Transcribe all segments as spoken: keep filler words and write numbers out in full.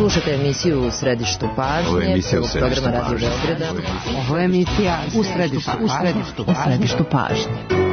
Slušajte emisiju U središtu pažnje. Ovo je emisija U središtu programa Radio Beograda. Ovo je emisija U središtu, u središtu, u središtu pažnje.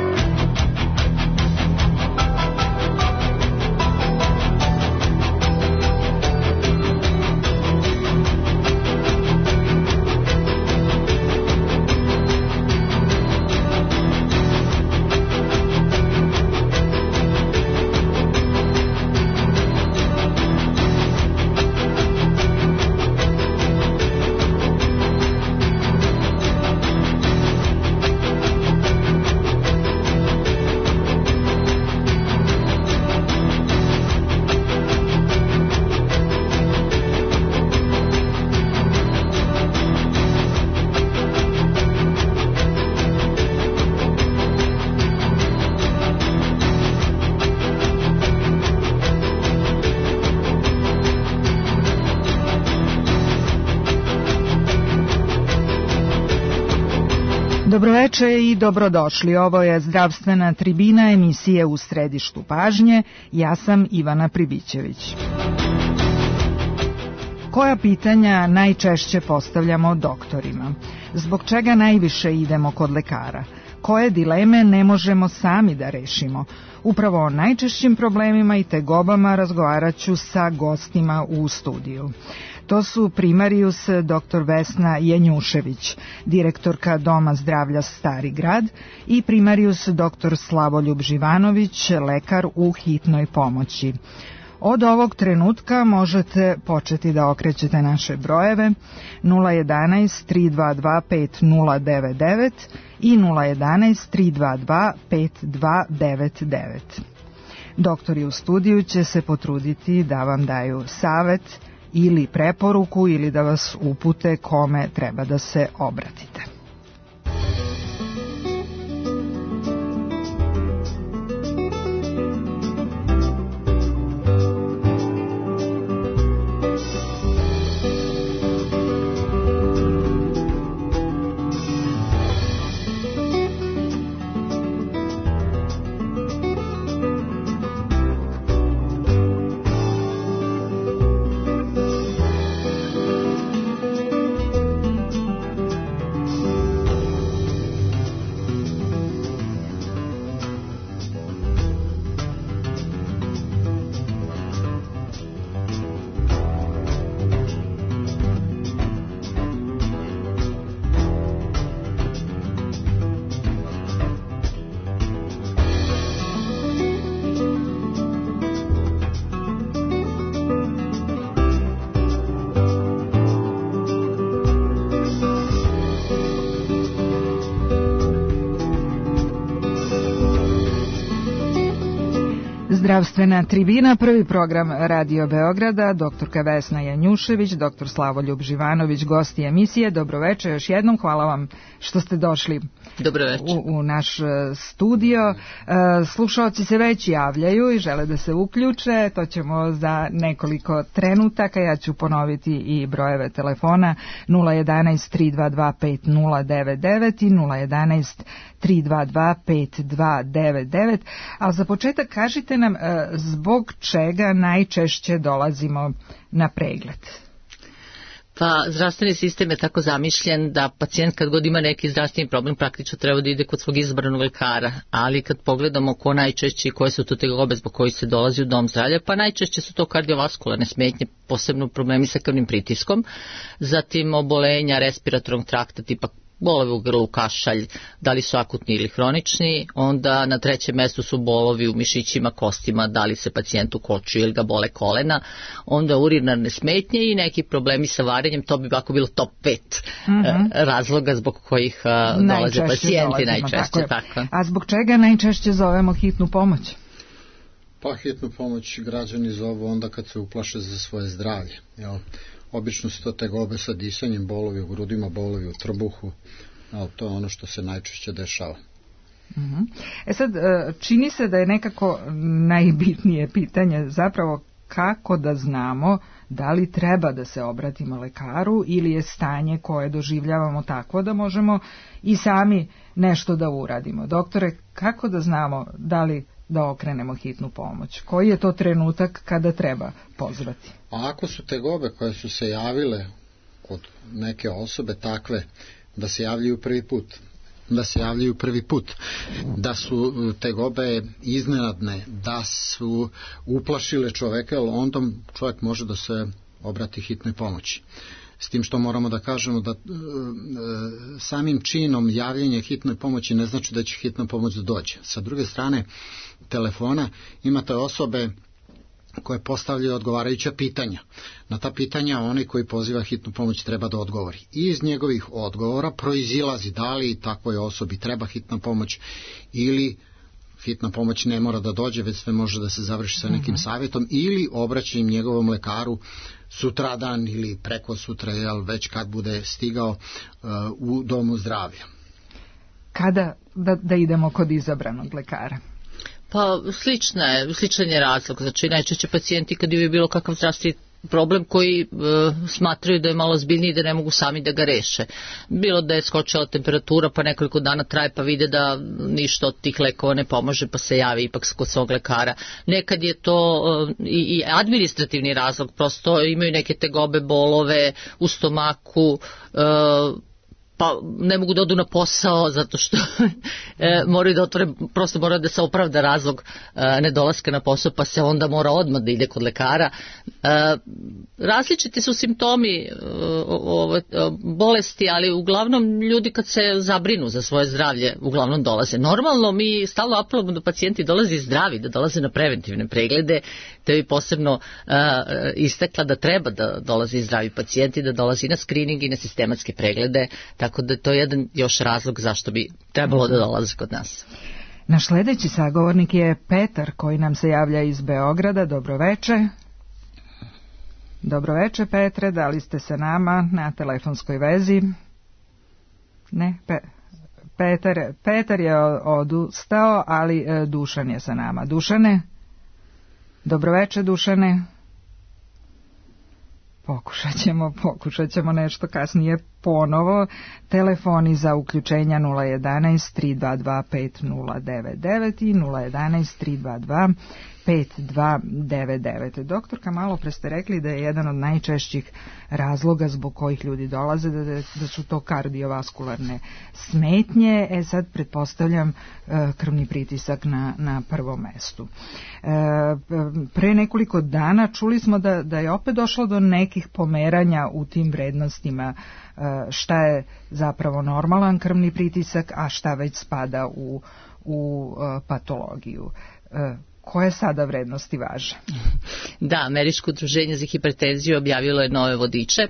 Dobroveče i dobrodošli. Ovo je zdravstvena tribina emisije U središtu pažnje. Ja sam Ivana Pribićević. Koja pitanja najčešće postavljamo doktorima? Zbog čega najviše idemo kod lekara? Koje dileme ne možemo sami da rešimo? Upravo o najčešćim problemima i tegobama razgovarat ću sa gostima u studiju. To su primarijus doktor Vesna Janjušević, direktorka Doma zdravlja Stari grad, i primarijus doktor Slavoljub Živanović, lekar u hitnoj pomoći. Od ovog trenutka možete početi da okrećete naše brojeve nula jedanaest tri dva dva pet nula devet devet i nula jedanaest tri dva dva pet dva devet devet. Doktori u studiju će se potruditi da vam daju savet ili preporuku ili da vas upute kome treba da se obratite. Zdravstvena tribina, prvi program Radio Beograda, doktorka Vesna Janjušević, doktor Slavoljub Živanović, gosti emisije. Dobroveče još jednom, hvala vam što ste došli u, u naš studio. Slušaoci se već javljaju i žele da se uključe, to ćemo za nekoliko trenutaka. Ja ću ponoviti i brojeve telefona nula jedanaest tri dva dva pet nula devet devet i nula jedanaest tri dva dva pet dva devet devet. Ali za početak kažite nam zbog čega najčešće dolazimo na pregled. Pa, zdravstveni sistem je tako zamišljen da pacijent kad god ima neki zdravstveni problem praktično treba da ide kod svog izabranog lekara, ali kad pogledamo ko najčešće i koje su to tegobe zbog kojih se dolazi u dom zdravlja, pa najčešće su to kardiovaskularne smetnje, posebno problemi sa krvnim pritiskom, zatim obolenja respiratornog trakta tipa bolovi u grlu, kašalj, da li su akutni ili hronični, onda na trećem mestu su bolovi u mišićima, kostima, da li se pacijentu koču ili ga bole kolena, onda urinarne smetnje i neki problemi sa varenjem, to bi ovako bilo top pet mm-hmm. razloga zbog kojih uh, dolaze pacijenti najčešće. Tako tako. A zbog čega najčešće zovemo hitnu pomoć? Pa hitnu pomoć građani zovu onda kad se uplaše za svoje zdravlje, jel? Obično su to tegobe sa disanjem, bolovi u grudima, bolovi u trbuhu, ali to je ono što se najčešće dešava. Uh-huh. E sad, čini se da je nekako najbitnije pitanje zapravo kako da znamo da li treba da se obratimo lekaru ili je stanje koje doživljavamo takvo da možemo i sami nešto da uradimo. Doktore, kako da znamo da li da okrenemo hitnu pomoć? Koji je to trenutak kada treba pozvati? A ako su tegobe koje su se javile kod neke osobe takve da se javljaju prvi put, da se javljaju prvi put, da su tegobe iznenadne, da su uplašile čoveka, onda čovjek može da se obrati hitnoj pomoći. S tim što moramo da kažemo da e, samim činom javljanja hitnoj pomoći ne znači da će hitna pomoć da dođe. Sa druge strane telefona imate osobe koje postavljaju odgovarajuća pitanja. Na ta pitanja onaj koji poziva hitnu pomoć treba da odgovori. I iz njegovih odgovora proizilazi da li takvoj osobi treba hitna pomoć ili hitna pomoć ne mora da dođe, već sve može da se završi sa nekim savjetom ili obraćanjem njegovom lekaru sutradan ili preko sutra, jel, već kad bude stigao uh, u domu zdravlja. Kada da, da idemo kod izabranog lekara? Pa slična je, sličan je razlog. Znači najčešće pacijenti kad imaju bilo kakav zdravstveni problem koji e, smatraju da je malo zbiljniji i da ne mogu sami da ga reše. Bilo da je skočila temperatura pa nekoliko dana traje pa vide da ništa od tih lekova ne pomaže pa se javi ipak kod svog lekara. Nekad je to e, i, i administrativni razlog, prosto imaju neke tegobe, bolove u stomaku, e, pa ne mogu da odu na posao zato što e, moraju da otvore, prosto mora da se opravda razlog e, nedolaska na posao, pa se onda mora odmah da ide kod lekara. E, različiti su simptomi e, o, o, bolesti, ali uglavnom ljudi kad se zabrinu za svoje zdravlje uglavnom dolaze. Normalno mi stalno apelujemo da pacijenti dolaze zdravi, da dolaze na preventivne preglede, te bi posebno e, istakla da treba da dolaze zdravi pacijenti, da dolaze na skrining i na sistematske preglede, tako da to je jedan još razlog zašto bi trebalo da dolaze kod nas. Naš sledeći sagovornik je Petar koji nam se javlja iz Beograda. Dobroveče. Dobroveče Petre, da li ste sa nama na telefonskoj vezi? Ne, Pe, Petar, Petar je odustao, ali e, Dušan je sa nama. Dušane? Dobroveče Dušane. Pokušat ćemo, pokušat ćemo nešto kasnije ponovo. Telefoni za uključenja nula jedanaest tri dva dva pet nula devet devet i nula jedanaest tri dva dva pet dva devet devet. Doktorka, malo pre ste rekli da je jedan od najčešćih razloga zbog kojih ljudi dolaze da, da su to kardiovaskularne smetnje. E sad pretpostavljam krvni pritisak na, na prvom mestu. E, pre nekoliko dana čuli smo da, da je opet došlo do nekih pomeranja u tim vrednostima, šta je zapravo normalan krvni pritisak, a šta već spada u, u patologiju. Koje sada vrednosti važe? Da, Američko udruženje za hipertenziju objavilo je nove vodiče.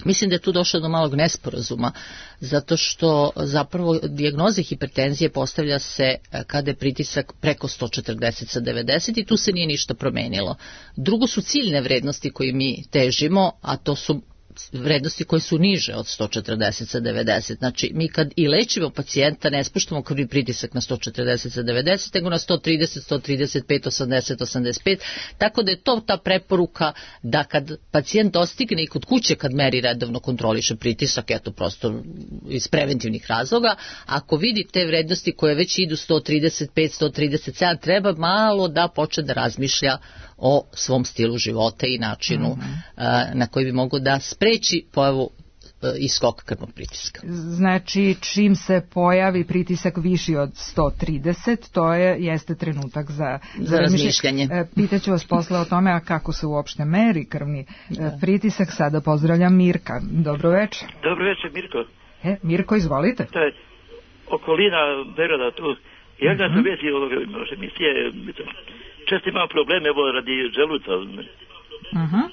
Mislim da je tu došlo do malog nesporazuma, zato što zapravo dijagnoza hipertenzije postavlja se kada je pritisak preko sto četrdeset sa devedeset i tu se nije ništa promenilo. Drugo su ciljne vrednosti koje mi težimo, a to su vrednosti koje su niže od sto četrdeset sa devedeset. Znači, mi kad i lečimo pacijenta ne spuštamo krvni pritisak na sto četrdeset sa devedeset, nego na sto trideset, sto trideset pet, osamdeset, osamdeset pet, tako da je to ta preporuka da kad pacijent dostigne i kod kuće kad meri redovno kontroliše pritisak, eto prosto iz preventivnih razloga, ako vidi te vrednosti koje već idu sto trideset pet, sto trideset sedam, treba malo da počne da razmišlja o svom stilu života i načinu mm-hmm. uh, na koji bi mogo da spreči pojavu uh, i skok krvnog pritiska. Znači, čim se pojavi pritisak viši od sto trideset, to je, jeste trenutak za, za, za razmišljanje. E, pitaću vas posle o tome, a kako se uopšte meri krvni da. pritisak. Sada pozdravljam Mirka. Dobro večer. Dobro večer, Mirko. E, Mirko, izvolite. To je okolina Beograda tu. Ja da sam mm-hmm. vezi ovoga emisije, često imam probleme evo radi želuca. Uh-huh.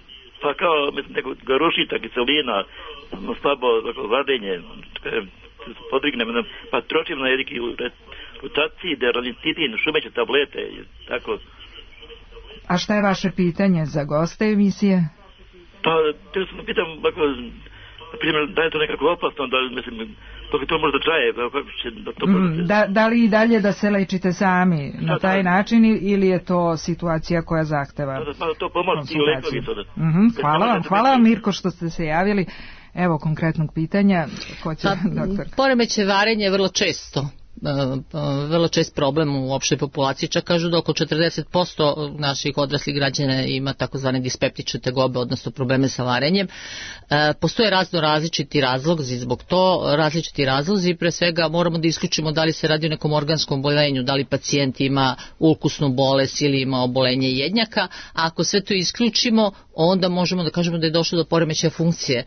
Pa kao neko garušita, kiselina, slabo vadenje, podrignem, pa tročim na jediki rotaciji, deralititin, šumeće tablete, tako. A šta je vaše pitanje za goste emisije? Pa, te sam pitam, ako, na primjer, da je to nekako opasno, da, mislim, dok to možda traje, kako će da to možda... Da, da li i dalje da se lečite sami na taj način ili je to situacija koja zahteva konsultaciju? Uh-huh. Hvala vam, hvala vam Mirko što ste se javili. Evo konkretnog pitanja. Ko će, pa, doktor? Poremeće varenja je vrlo često vrlo čest problem u opštoj populaciji, čak kažu da oko četrdeset posto naših odraslih građana ima takozvane dispeptične tegobe, odnosno probleme sa varenjem. Postoje razno različiti razlozi zbog to, različiti razlozi, pre svega moramo da isključimo da li se radi o nekom organskom oboljenju, da li pacijent ima ulkusnu bolest ili ima obolenje jednjaka, a ako sve to isključimo, onda možemo da kažemo da je došlo do poremećaja funkcije,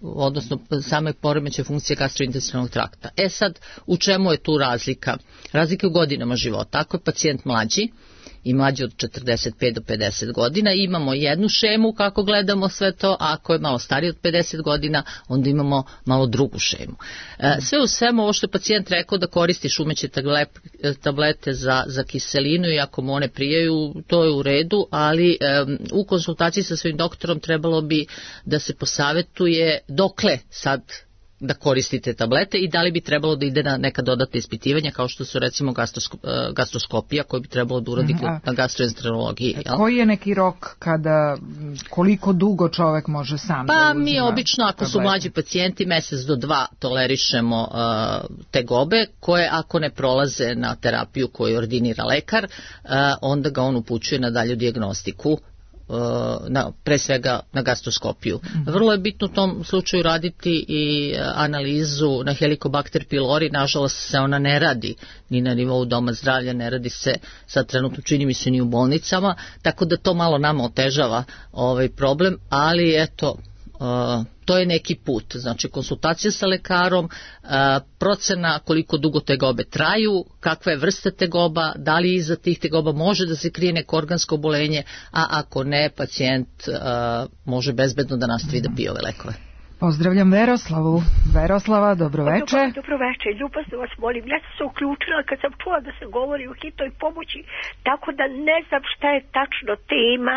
odnosno same poremećaja funkcije gastrointestinalnog trakta. E sad, u čemu je tu razlika? Razlika u godinama života. Ako je pacijent mlađi i mlađi od četrdeset pet do pedeset godina, imamo jednu šemu kako gledamo sve to, a ako je malo stariji od pedeset godina, onda imamo malo drugu šemu. E, sve u svemu, ovo što je pacijent rekao da koristi šumeće tablete za, za kiselinu i ako mu one prijaju, to je u redu, ali e, u konsultaciji sa svojim doktorom trebalo bi da se posavetuje dokle sad da koristite tablete i da li bi trebalo da ide na neka dodatna ispitivanja kao što su recimo gastroskop, gastroskopija koju bi trebalo da uradi mm, na gastroenterologiji. Koji je neki rok kada, koliko dugo čovek može sam pa, da uzima? Pa mi obično ako tablete su mlađi pacijenti mesec do dva tolerišemo uh, tegobe koje ako ne prolaze na terapiju koju ordinira lekar, uh, onda ga on upućuje na dalju dijagnostiku, na, pre svega na gastroskopiju. Mm-hmm. Vrlo je bitno u tom slučaju raditi i analizu na Helicobacter pylori, nažalost se ona ne radi ni na nivou doma zdravlja, ne radi se sad trenutno čini mi se ni u bolnicama, tako da to malo nama otežava ovaj problem, ali eto, Uh, to je neki put, znači konsultacija sa lekarom, uh, procena koliko dugo tegobe traju, kakva je vrsta tegoba, da li iza tih tegoba može da se krije neko organsko obolenje, a ako ne, pacijent uh, može bezbedno da nastavi da pije ove lekove. Pozdravljam Veroslavu. Veroslava, dobroveče. Dobro, dobroveče, ljubazno vas molim. Ja sam se uključila kad sam čula da se govori o hitnoj pomoći, tako da ne znam šta je tačno tema.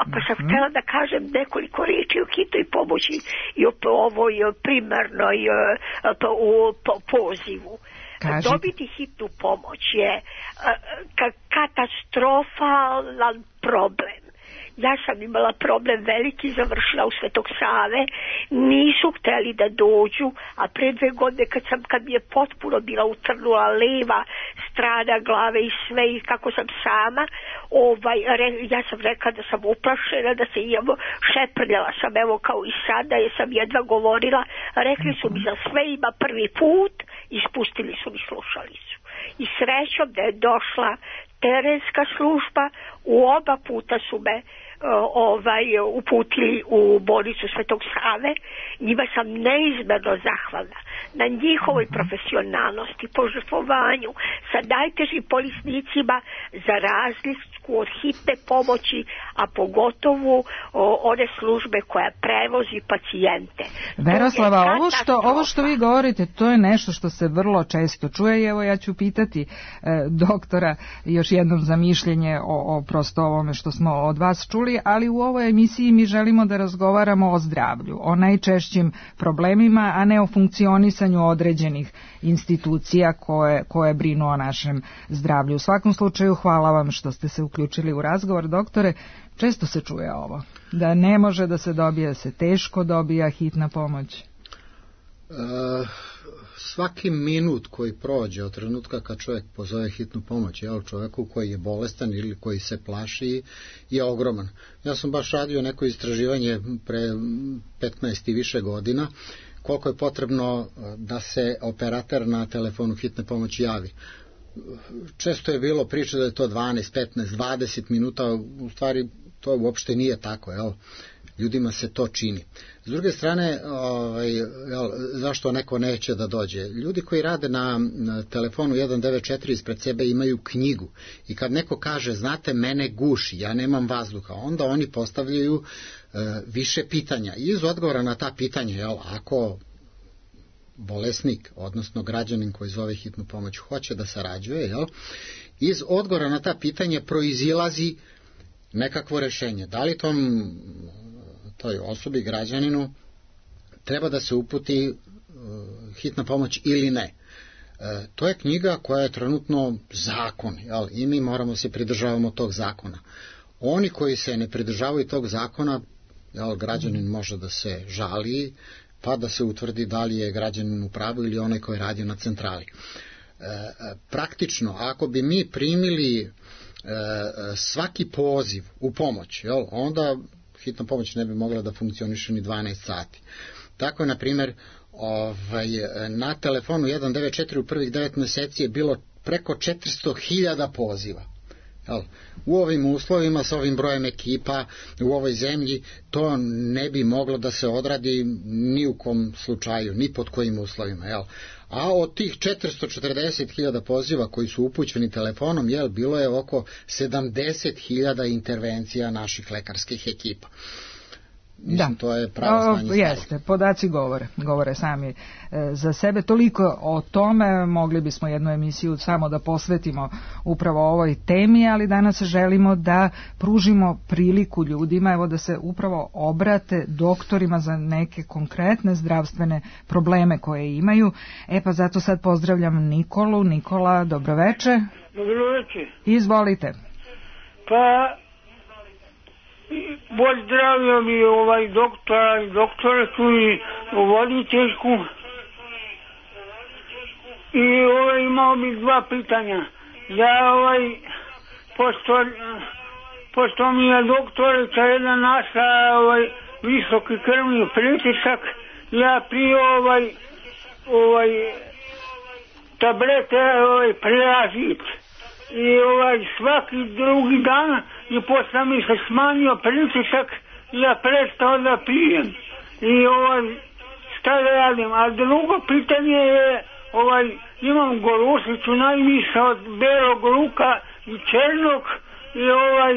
Ako sam mm-hmm. htjela da kažem nekoliko riječi o hitnoj pomoći i o ovoj primarnoj o pozivu. Kažite. Dobiti hitnu pomoć je katastrofalan problem. Ja sam imala problem veliki, završila u Svetog Save, nisu hteli da dođu, a pre dve godine kad, sam, kad mi je potpuno bila utrnula leva strana glave i sve i kako sam sama, ovaj, re, ja sam rekla da sam uplašena, da se imamo, šeprljala sam evo kao i sada, jer sam jedva govorila, rekli su mi za sve ima prvi put, ispustili su mi slušalicu. I srećom da je došla terenska služba, u oba puta su me ovaj uputili u bolnicu Svetog Save, njima sam neizmerno zahvalna na njihovoj profesionalnosti, požrtvovanju sa najtežim bolesnicima za razliku od hitne pomoći, a pogotovo o, one službe koja prevozi pacijente. Veroslava, ovo što, ovo što vi govorite, to je nešto što se vrlo često čuje i evo ja ću pitati e, doktora još jednom za mišljenje o, o prosto ovome što smo od vas čuli, ali u ovoj emisiji mi želimo da razgovaramo o zdravlju, o najčešćim problemima, a ne o funkcionisanju određenih institucija koje, koje brinu o našem zdravlju. U svakom slučaju, hvala vam što ste se uključili u razgovor, doktore. Često se čuje ovo, da ne može da se dobije, da se teško dobija hitna pomoć. E, svaki minut koji prođe od trenutka kad čovjek pozove hitnu pomoć, jel, čovjeku koji je bolestan ili koji se plaši, je ogroman. Ja sam baš radio neko istraživanje pre petnaest i više godina, koliko je potrebno da se operater na telefonu hitne pomoći javi. Često je bilo priča da je to dvanaest, petnaest, dvadeset minuta, u stvari to uopšte nije tako, jel? Ljudima se to čini. S druge strane, ovaj, jel, zašto neko neće da dođe? Ljudi koji rade na, na telefonu jedan devet četiri ispred sebe imaju knjigu i kad neko kaže, znate, mene guši, ja nemam vazduha, onda oni postavljaju e, više pitanja. I iz odgovora na ta pitanja, jel, ako bolesnik, odnosno građanin koji zove hitnu pomoć hoće da sarađuje, jel, iz odgovora na ta pitanja proizilazi nekakvo rešenje. Da li tom toj osobi, građaninu, treba da se uputi uh, hitna pomoć ili ne. Uh, to je knjiga koja je trenutno zakon, jel? I mi moramo se pridržavamo tog zakona. Oni koji se ne pridržavaju tog zakona, jel, građanin može da se žali pa da se utvrdi da li je građanin u pravu ili onaj koji je radio na centrali. Praktično, ako bi mi primili svaki poziv u pomoć, jel, onda hitna pomoć ne bi mogla da funkcioniše ni dvanaest sati. Tako je, na primjer, ovaj, na telefonu jedan devet četiri u prvih devet meseci je bilo preko četiristo hiljada poziva. Jel, u ovim uslovima, sa ovim brojem ekipa u ovoj zemlji, to ne bi moglo da se odradi ni u kom slučaju, ni pod kojim uslovima. Jel. A od tih četiristo četrdeset hiljada poziva koji su upućeni telefonom, jel, bilo je oko sedamdeset hiljada intervencija naših lekarskih ekipa. Mislim, da, to je pravo stanje. Jeste, podaci govore, govore sami e, za sebe. Toliko o tome, mogli bismo jednu emisiju samo da posvetimo upravo ovoj temi, ali danas želimo da pružimo priliku ljudima, evo, da se upravo obrate doktorima za neke konkretne zdravstvene probleme koje imaju. E pa zato sad pozdravljam Nikolu. Nikola, dobroveče. Dobroveče. Izvolite. Pa pozdravio bi ovaj doktora i doktoretu i voditeljku i ovaj, imao bi dva pitanja. Ja ovaj pošto, pošto mi je doktorica jedna naša ovaj visoki krvni pritisak, ja piju ovaj ovaj tablete ovaj Preazit i ovaj svaki drugi dan i posle mi se smanjio pritisak i ja prestao da pijem i ovaj šta da radim. A drugo pitanje je ovaj imam gorušicu najviše od belog luka i černog i ovaj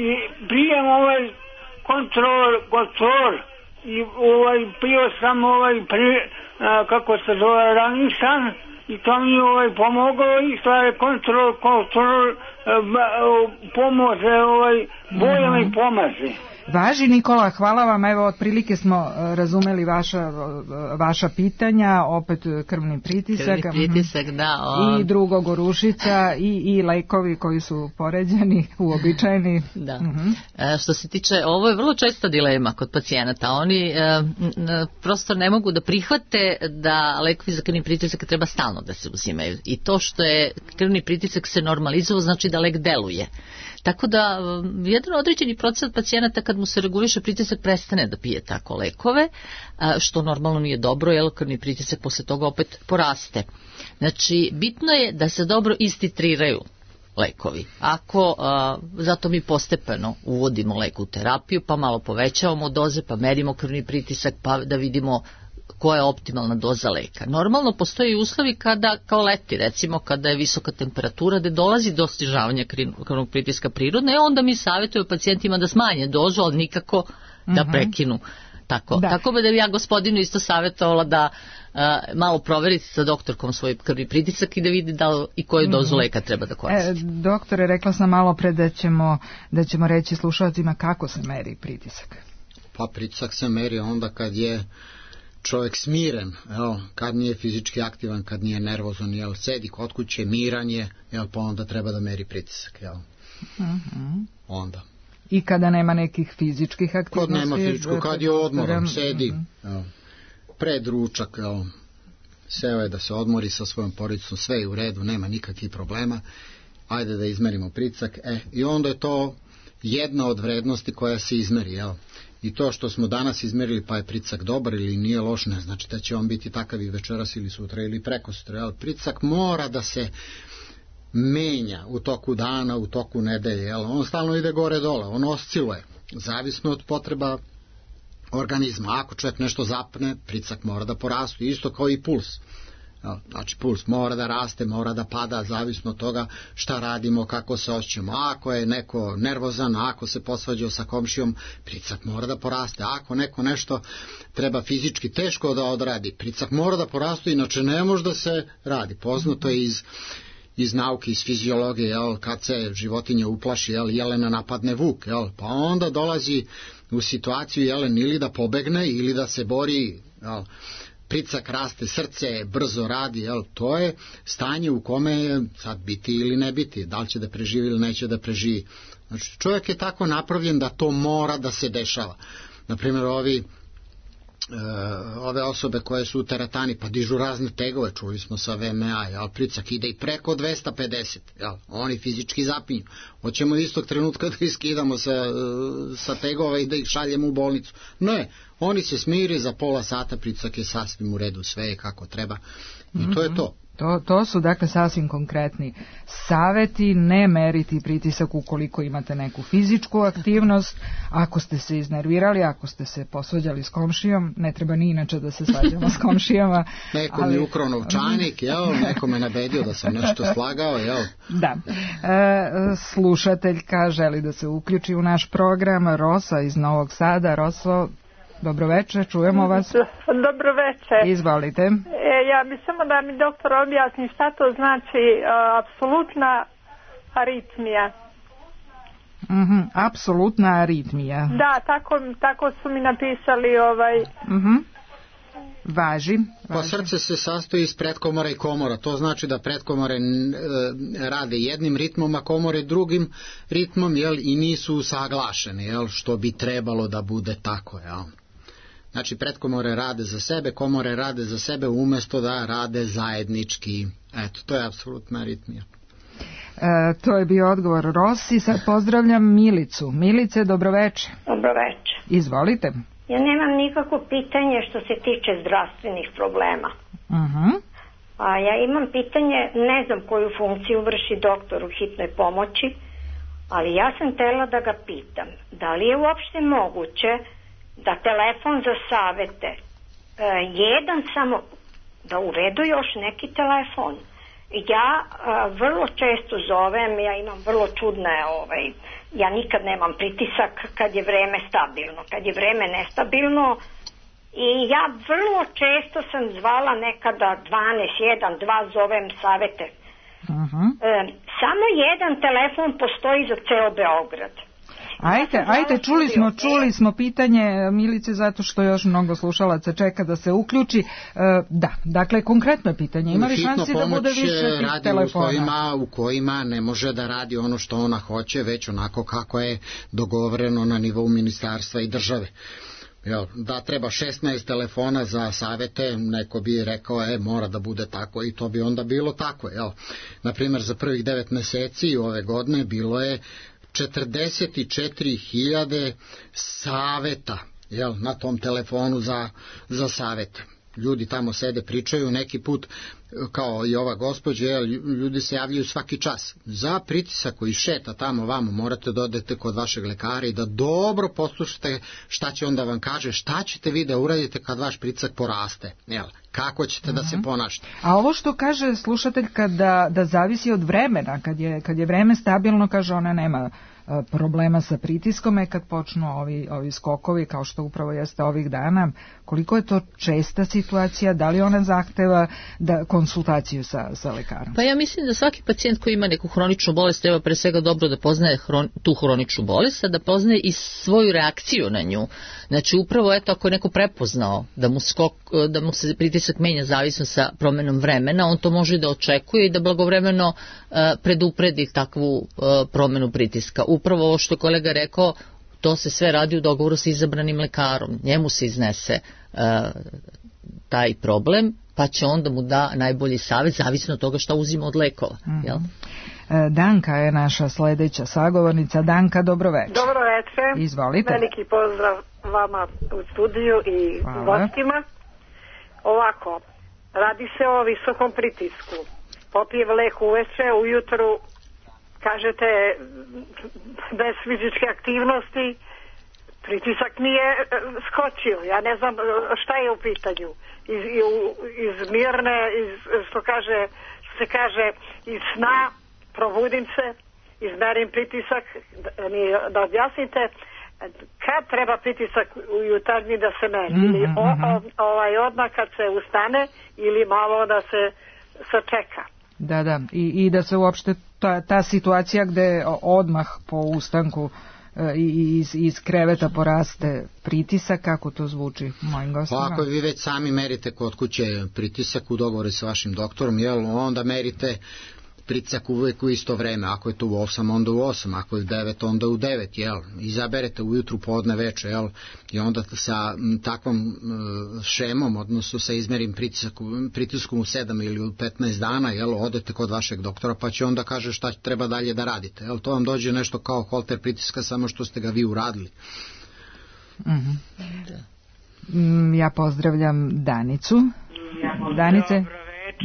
i pijem ovaj kontrol kontrol i ovaj pio sam ovaj pri, a, kako se zove Ranisan i to mi ovaj pomoglo i stvari kontrol, kontrol pomoze, ovaj, bolje mi pomaže. Važi, Nikola, hvala vam, evo otprilike smo razumeli vaša, vaša pitanja, opet krvni pritisak, krvni pritisak da, o... i drugo gorušica i, i lekovi koji su poređeni, uobičajeni. Da. Uh-huh. E, što se tiče, ovo je vrlo česta dilema kod pacijenata, oni e, n, prosto ne mogu da prihvate da lekovi za krvni pritisak treba stalno da se uzimaju i to što je krvni pritisak se normalizovao znači da lek deluje. Tako da jedan određeni procenat pacijenata kad mu se reguliše pritisak prestane da pije tako lekove, što normalno nije dobro, jer krvni pritisak posle toga opet poraste. Znači, bitno je da se dobro istitriraju lekovi. Ako, a, zato mi postepeno uvodimo lek u terapiju, pa malo povećavamo doze, pa merimo krvni pritisak, pa da vidimo koja je optimalna doza leka. Normalno postoje uslovi kada, kao leti recimo, kada je visoka temperatura, da dolazi do snižavanja krvnog pritiska prirodne, onda mi savjetujemo pacijentima da smanje dozu, ali nikako da uh-huh. prekinu. Tako da. Tako da bi ja gospodinu isto savjetovala da uh, malo proveriti sa doktorkom svoj krvni pritisak i da vidi da li i koju dozu leka treba da koristi. E, doktore, rekla sam malo pre da ćemo, da ćemo reći slušalcima kako se meri pritisak. Pa pritisak se meri onda kad je čovjek smiren, jel, kad nije fizički aktivan, kad nije nervozan, jel, sedi kod kuće, miran je, jel, pa onda treba da meri pritisak, jel. Uh-huh. Onda. I kada nema nekih fizičkih aktivnosti? Kad nema fizičkog, kad je odmoran, sedi, uh-huh. jel, pred ručak, jel, seo je da se odmori sa svojom porodicom, sve je u redu, nema nikakvih problema, ajde da izmerimo pritisak, e, i onda je to jedna od vrednosti koja se izmeri, jel. I to što smo danas izmerili pa je pritisak dobar ili nije loš, ne znači da će on biti takav i večeras ili sutra ili prekosutra. Jel? Pritisak mora da se menja u toku dana, u toku nedelje. Jel? On stalno ide gore dole, on osciluje, zavisno od potreba organizma. Ako čovjek nešto zapne, pritisak mora da porastu, isto kao i puls. Znači puls mora da raste, mora da pada, zavisno od toga šta radimo, kako se osjećamo. Ako je neko nervozan, ako se posvađao sa komšijom, pritisak mora da poraste. Ako neko nešto treba fizički teško da odradi, pritisak mora da poraste, inače ne može da se radi. Poznato je iz, iz nauke, iz fiziologije, jel, kad se životinja uplaši, jel, jelena napadne vuk, jel, pa onda dolazi u situaciju jelen ili da pobegne ili da se bori, jel, pritisak raste, srce brzo radi, jel, to je stanje u kome je sad biti ili ne biti, da li će da preživi ili neće da preživi. Znači, čovjek je tako napravljen da to mora da se dešava. Naprimjer, ovi ove osobe koje su u teretani pa dižu razne tegove, čuli smo sa V M A, jel, pritisak ide i preko dvesta pedeset, jel, oni fizički zapinju. Hoćemo istog trenutka da iskidamo sa, sa tegova i da ih šaljemo u bolnicu. Ne, oni se smiri, za pola sata pritisak je sasvim u redu, sve je kako treba i to je to. To, to su dakle sasvim konkretni saveti, ne meriti pritisak ukoliko imate neku fizičku aktivnost, ako ste se iznervirali, ako ste se posvađali s komšijom, ne treba ni inače da se svađamo s komšijama. Neko ali... mi ukrao novčanik, jel, neko me nabedio da sam nešto slagao, jel. Da. E, slušateljka želi da se uključi u naš program, Rosa iz Novog Sada. Roso, dobro večer, čujemo vas. Dobro večer. Izvolite. E, ja bi samo da mi doktor objasni šta to znači uh, apsolutna aritmija. Mhm, apsolutna aritmija. Da, tako, tako su mi napisali ovaj... Mhm. Važi, važi. Pa srce se sastoji iz pretkomora i komora, to znači da pretkomore e, rade jednim ritmom, a komore drugim ritmom, jel, i nisu usaglašene, jel, što bi trebalo da bude tako, jel. Znači pretkomore rade za sebe, komore rade za sebe umjesto da rade zajednički. Eto, to je apsolutna aritmija. E, to je bio odgovor Rosi. Sad pozdravljam Milicu. Milice, dobroveče. Dobroveče. Izvolite. Ja nemam nikakvo pitanje što se tiče zdravstvenih problema. Uh-huh. A ja imam pitanje, ne znam koju funkciju vrši doktor u hitnoj pomoći, ali ja sam htjela da ga pitam, da li je uopšte moguće da telefon za savete, e, jedan samo, da uvedu još neki telefon. Ja a, vrlo često zovem, ja imam vrlo čudne, ovaj, ja nikad nemam pritisak kad je vreme stabilno, kad je vreme nestabilno, i ja vrlo često sam zvala nekada dvanaest, jedan, dva zovem savete. Uh-huh. E, samo jedan telefon postoji za ceo Beograd. Ajte, ajte, čuli smo, čuli smo pitanje Milice zato što još mnogo slušalaca čeka da se uključi. E, da, dakle, konkretno je pitanje. Ima li šansi da bude više tih telefona? U kojima, u kojima ne može da radi ono što ona hoće, već onako kako je dogovoreno na nivou ministarstva i države. Jel, da treba šesnaest telefona za savete, neko bi rekao, e, mora da bude tako, i to bi onda bilo tako. Jel. Naprimjer, za prvih devet meseci ove godine bilo je četrdeset četiri hiljade saveta, jel, na tom telefonu za, za savete. Ljudi tamo sede, pričaju, neki put, kao i ova gospođa, jel, ljudi se javljaju svaki čas. Za pritisak koji šeta tamo vamo, morate da odete kod vašeg lekara i da dobro poslušate šta će onda vam kaže, šta ćete vi da uradite kad vaš pritisak poraste, jel, kako ćete uh-huh. da se ponašate. A ovo što kaže slušateljka da, da zavisi od vremena, kad je, kad je vreme stabilno, kaže ona nema problema sa pritiskom, je kad počnu ovi, ovi skokovi, kao što upravo jeste ovih dana. Koliko je to česta situacija? Da li ona zahteva da konsultaciju sa, sa lekarom? Pa ja mislim da svaki pacijent koji ima neku hroničnu bolest treba pre svega dobro da poznaje hron, tu hroničnu bolest, a da poznaje i svoju reakciju na nju. Znači upravo eto, ako je neko prepoznao da mu, skok, da mu se pritisak menja zavisno sa promenom vremena, on to može da očekuje i da blagovremeno uh, predupredi takvu uh, promenu pritiska. Upravo ovo što je kolega rekao, to se sve radi u dogovoru sa izabranim lekarom. Njemu se iznese uh, taj problem, pa će onda mu da najbolji savjet, zavisno od toga šta uzima od lekova. Mm-hmm. Jel? Danka je naša sledeća sagovornica. Danka, dobro večer. Dobro večer. Izvolite. Veliki pozdrav vama u studiju i gostima. Ovako, radi se o visokom pritisku. Popije lek uveče, ujutru kažete bez fizičke aktivnosti, pritisak mi je skočio. Ja ne znam šta je u pitanju. Iz, iz mirne, iz, što kaže, što se kaže, iz sna probudim se, izmerim pritisak, da, mi, da objasnite kad treba pritisak u jutarnji da se meri. Mm-hmm. Ili o, o, ovaj odmah kad se ustane ili malo da se sačeka. Da, da, i, i da se uopšte ta, ta situacija gde odmah po ustanku i iz, iz kreveta poraste pritisak, kako to zvuči mojim gostima? Pa ako vi već sami merite kod kuće pritisak u dogovoru sa vašim doktorom, jel, onda merite pritisak uvek u isto vreme, ako je to u osam, onda u osam, ako je u devet, onda u devet, jel? Izaberete ujutru, podne, veče, jel? I onda sa takvom šemom, odnosno sa izmerim pritiskom, pritiskom u sedam ili u petnaest dana, jel? Odete kod vašeg doktora, pa će onda kaže šta treba dalje da radite, jel? To vam dođe nešto kao holter pritiska, samo što ste ga vi uradili. Mm-hmm. Ja pozdravljam Danicu. Danice,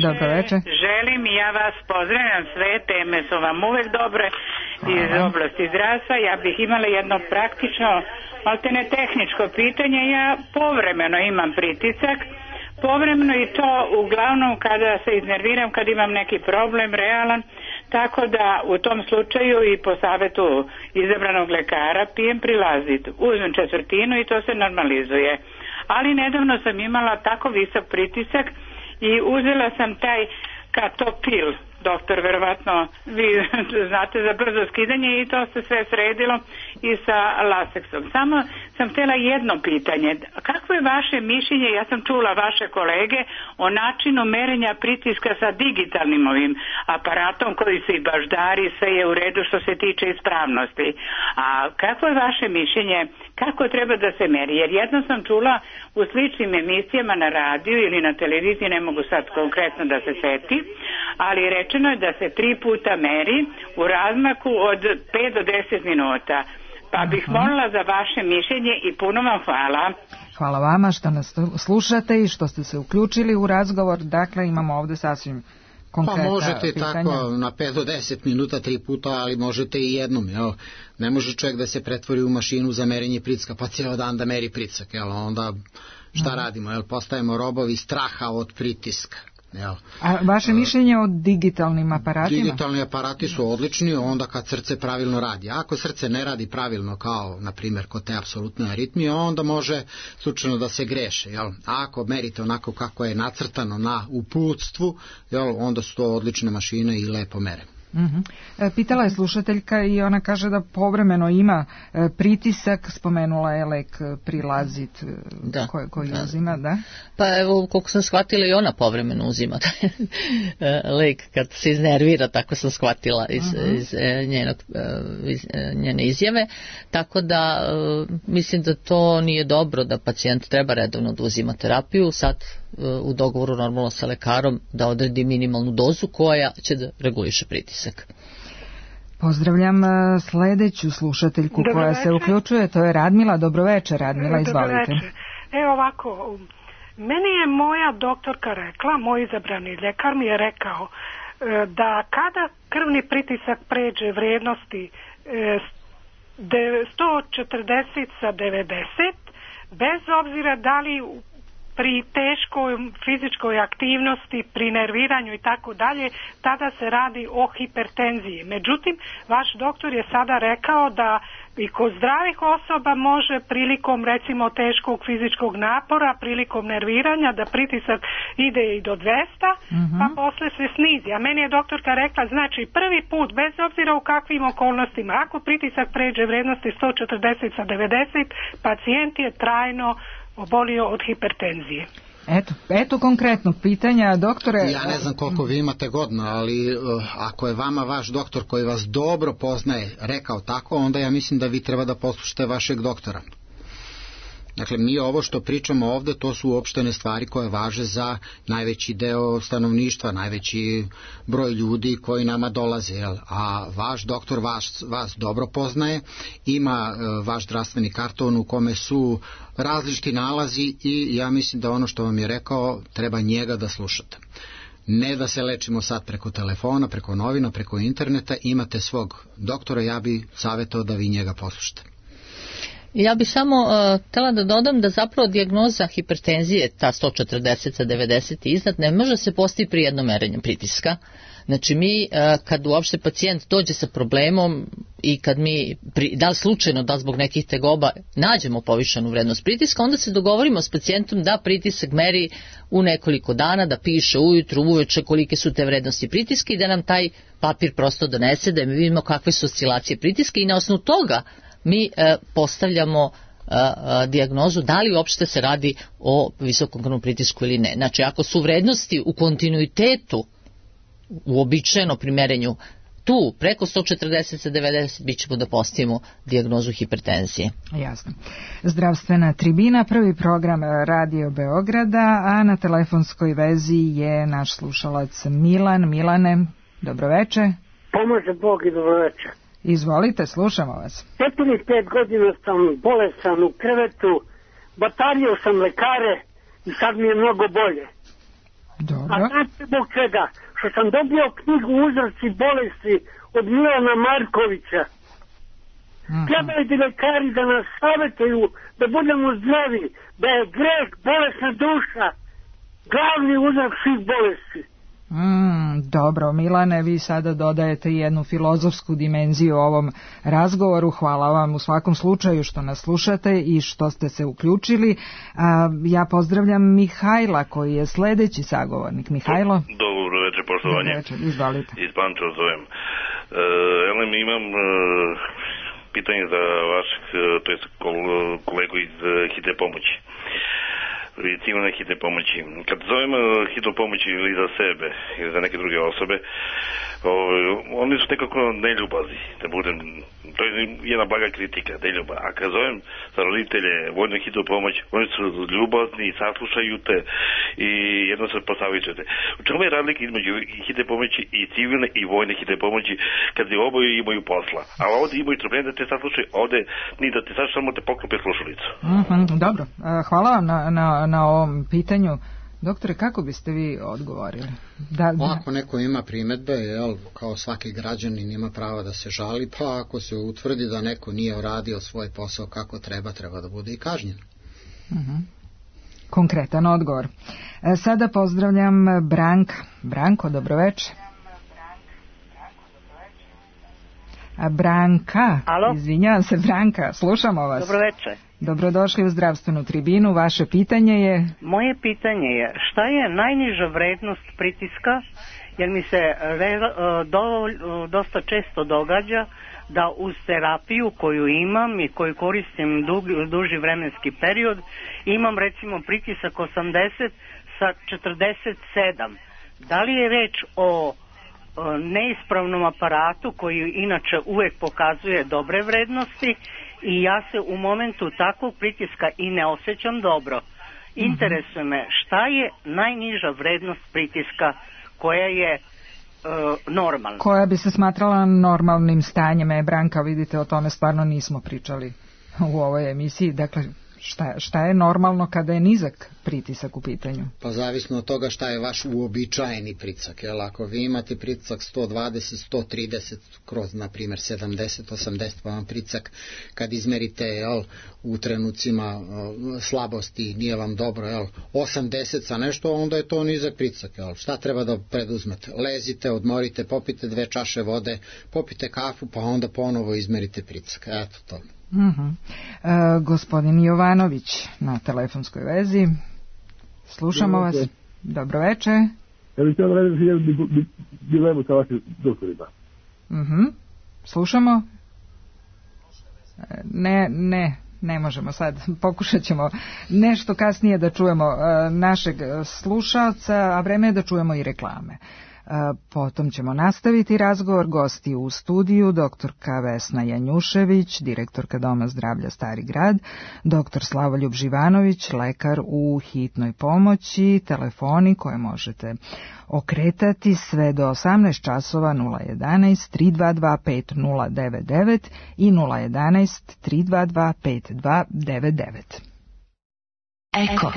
dobro večer. Želim i ja vas pozdravljam, sve teme su vam uvek dobre iz oblasti zdravstva. Ja bih imala jedno praktično, maltene tehničko pitanje. Ja povremeno imam pritisak, povremeno i to uglavnom kada se iznerviram, kad imam neki problem realan, tako da u tom slučaju i po savetu izabranog lekara pijem Prilazit. Uzmem četvrtinu i to se normalizuje. Ali nedavno sam imala tako visok pritisak i uzela sam taj Katopil, doktor, verovatno vi znate za brzo skidanje, i to se sve sredilo i sa Lasexom. Samo sam htjela jedno pitanje. Kakvo je vaše mišljenje, ja sam čula vaše kolege, o načinu merenja pritiska sa digitalnim ovim aparatom koji su i baždari, sve je u redu što se tiče ispravnosti. A kakvo je vaše mišljenje, kako treba da se meri? Jer jedno sam čula u sličnim emisijama na radiju ili na televiziji, ne mogu sad konkretno da se seti, ali rečeno je da se tri puta meri u razmaku od pet do deset minuta. Pa bih molila za vaše mišljenje i puno vam hvala. Hvala vama što nas slušate i što ste se uključili u razgovor. Dakle, imamo ovde sasvim konkretna pitanja. Pa možete pitanja. Tako na pet do deset minuta, tri puta, ali možete i jednom. Jel? Ne može čovjek da se pretvori u mašinu za merenje pritiska, pa cijelo dan da meri pritisak. Jel? Onda šta radimo? Jel? Postajemo robovi straha od pritiska. Jel? A vaše mišljenje o digitalnim aparatima? Digitalni aparati su odlični onda kad srce pravilno radi. Ako srce ne radi pravilno, kao na primjer kod te apsolutne aritmije, onda može slučajno da se greše. Jel? A ako merite onako kako je nacrtano na uputstvu, jel, onda su to odlične mašine i lepo mere. Uh-huh. Pitala je slušateljka i ona kaže da povremeno ima pritisak, spomenula je lek Prilazit da, koji, koji da. uzima, da? Pa evo, koliko sam shvatila i ona povremeno uzima lek kad se iznervira, tako sam shvatila iz, uh-huh. iz, njenog, iz njene izjave, tako da mislim da to nije dobro, da pacijent treba redovno da uzima terapiju, sad u dogovoru normalno sa lekarom da odredi minimalnu dozu koja će da reguliše pritisak. Pozdravljam sledeću slušateljku dobro koja večer. Se uključuje, to je Radmila. Dobroveče, Radmila, izvalite. Evo ovako, meni je moja doktorka rekla, moj izabrani ljekar mi je rekao da kada krvni pritisak pređe vrijednosti sto četrdeset sa devedeset, bez obzira da li pri teškoj fizičkoj aktivnosti, pri nerviranju i tako dalje, tada se radi o hipertenziji. Međutim, vaš doktor je sada rekao da i kod zdravih osoba može prilikom recimo teškog fizičkog napora, prilikom nerviranja, da pritisak ide i do dvesta, mm-hmm. pa posle se snizi. A meni je doktorka rekla, znači prvi put, bez obzira u kakvim okolnostima, ako pritisak pređe vrednosti sto četrdeset sa devedeset, pacijent je trajno obolio od hipertenzije. Eto, eto konkretnog pitanja, doktore. Ja ne znam koliko vi imate godina, ali uh, ako je vama vaš doktor koji vas dobro poznaje rekao tako, onda ja mislim da vi treba da poslušate vašeg doktora. Dakle, mi ovo što pričamo ovde, to su uopštene stvari koje važe za najveći deo stanovništva, najveći broj ljudi koji nama dolaze, jel? A vaš doktor vas, vas dobro poznaje, ima uh, vaš zdravstveni karton u kome su različiti nalazi i ja mislim da ono što vam je rekao, treba njega da slušate. Ne da se lečimo sad preko telefona, preko novina, preko interneta, imate svog doktora, ja bi savjetao da vi njega poslušate. Ja bih samo uh, htjela da dodam da zapravo dijagnoza hipertenzije, ta sto četrdeset sa devedeset i iznad, ne može se postići pri jednom merenju pritiska. Znači mi, uh, kad uopšte pacijent dođe sa problemom i kad mi, pri, da li slučajno, da li zbog nekih tegoba, nađemo povišenu vrednost pritiska, onda se dogovorimo s pacijentom da pritisak meri u nekoliko dana, da piše ujutru, uveče kolike su te vrednosti pritiska i da nam taj papir prosto donese, da mi vidimo kakve su oscilacije pritiska i na osnovu toga mi e, postavljamo e, e, dijagnozu da li uopšte se radi o visokom krvnom pritisku ili ne. Znači, ako su vrednosti u kontinuitetu uobičajeno pri merenju tu preko sto četrdeset sa devedeset bit ćemo da postavimo dijagnozu hipertenzije. Jasno. Zdravstvena tribina, prvi program Radio Beograda, a na telefonskoj vezi je naš slušalac Milan. Milane, dobroveče. Pomože Bog i dobroveče. Izvolite, slušamo vas. Petnih pet godina sam bolesan u krevetu, batario sam lekare i sad mi je mnogo bolje. Dobro. A znate zbog čega? Što sam dobio knjigu Uzroci bolesti od Milana Markovića. Mm-hmm. Trebaju ti lekari da nas savjetuju da budemo zdravi, da je greh, bolesna duša, glavni uzrok svih bolesti. Mm, dobro, Milane, vi sada dodajete jednu filozofsku dimenziju ovom razgovoru. Hvala vam u svakom slučaju što nas slušate i što ste se uključili. A, ja pozdravljam Mihajla koji je sledeći sagovornik. Mihajlo? Dobro večer, poštovanje. Dobro večer, izvalite. Iz Pančeva zovem. E, Elem, imam e, pitanje za vašeg, to je kolegu iz hitne pomoći. Civilne hitne pomoći. Kad zovem hitnu pomoć ili za sebe ili za neke druge osobe, o, oni su nekako neljubazni, da budem, to je jedna blaga kritika, neljuba. A kad zovem za roditelje vojnu hitnu pomoć, oni su ljubazni i saslušaju te i jedno se posavičete. U čemu je razlika između hitne pomoći i civilne i vojne hitne pomoći kad oboje imaju posla? A ovdje imaju trpljenje da te saslušaju, ovdje ni da te saslušaju, samo te poklope slušalicu. Mm-hmm, dobro, hvala vam na, na na ovom pitanju. Doktore, kako biste vi odgovorili? Da, da... Ako neko ima primedbe, jel, kao svaki građanin ima pravo da se žali, pa ako se utvrdi da neko nije uradio svoj posao kako treba, treba da bude i kažnjen. Uh-huh. Konkretan odgovor. E, sada pozdravljam Branka. Branko, dobroveče. A Branka, Alo? Izvinjavam se, Branka, slušamo vas. Dobroveče. Dobrodošli u zdravstvenu tribinu. Vaše pitanje je? Moje pitanje je šta je najniža vrednost pritiska, jer mi se re, do, dosta često događa da uz terapiju koju imam i koju koristim dug, duži vremenski period, imam recimo pritisak osamdeset sa četrdeset sedam. Da li je reč o neispravnom aparatu koji inače uvek pokazuje dobre vrednosti i ja se u momentu takvog pritiska i ne osjećam dobro. Interesuje me šta je najniža vrednost pritiska koja je e, normalna. Koja bi se smatrala normalnim stanjem. E, Branka, vidite, o tome stvarno nismo pričali u ovoj emisiji. Dakle, šta, šta je normalno kada je nizak pritisak u pitanju? Pa zavisno od toga šta je vaš uobičajeni pritisak. Jel? Ako vi imate pritisak sto dvadeset, sto trideset, kroz, na primjer, sedamdeset, osamdeset, pa vam pritisak kad izmerite, jel, u trenucima jel, slabosti, nije vam dobro, jel, osamdeset sa nešto, onda je to nizak pritisak. Jel? Šta treba da preduzmete? Lezite, odmorite, popite dve čaše vode, popite kafu, pa onda ponovo izmerite pritisak. Eto to. Uh-huh. E, gospodin Jovanović na telefonskoj vezi. Slušamo vas. Dobroveče. Ja bih htio da raditi jednu dilemu sa vašim doktorima. Uh-huh. Slušamo? Ne, ne, ne možemo sad. Pokušat ćemo nešto kasnije da čujemo uh, našeg slušalca, a vreme je da čujemo i reklame. Potom ćemo nastaviti razgovor. Gosti u studiju doktorka Vesna Janjušević, direktorka Doma zdravlja Stari grad, doktor Slavoljub Živanović, lekar u hitnoj pomoći, telefoni koje možete okretati sve do osamnaest časova nula jedanaest, tri dva dva pet nula devet devet i nula jedanaest, tri dva dva pet dva devet devet. Eko.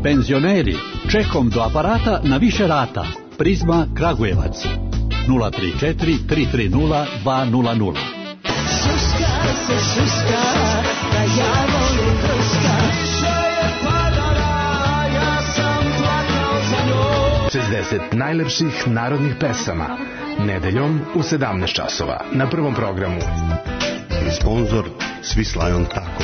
Penzioneri, čekom do aparata na više rata. Prizma Kragujevac nula tri četiri tri tri nula dva nula nula. Šuška se šuška, da ja volim druška. Kiša je padala, ja sam plakao za njom. šezdeset najlepših narodnih pesama. Nedeljom u sedamnaest časova na Prvom programu. Sponzor Swiss Lion Taco.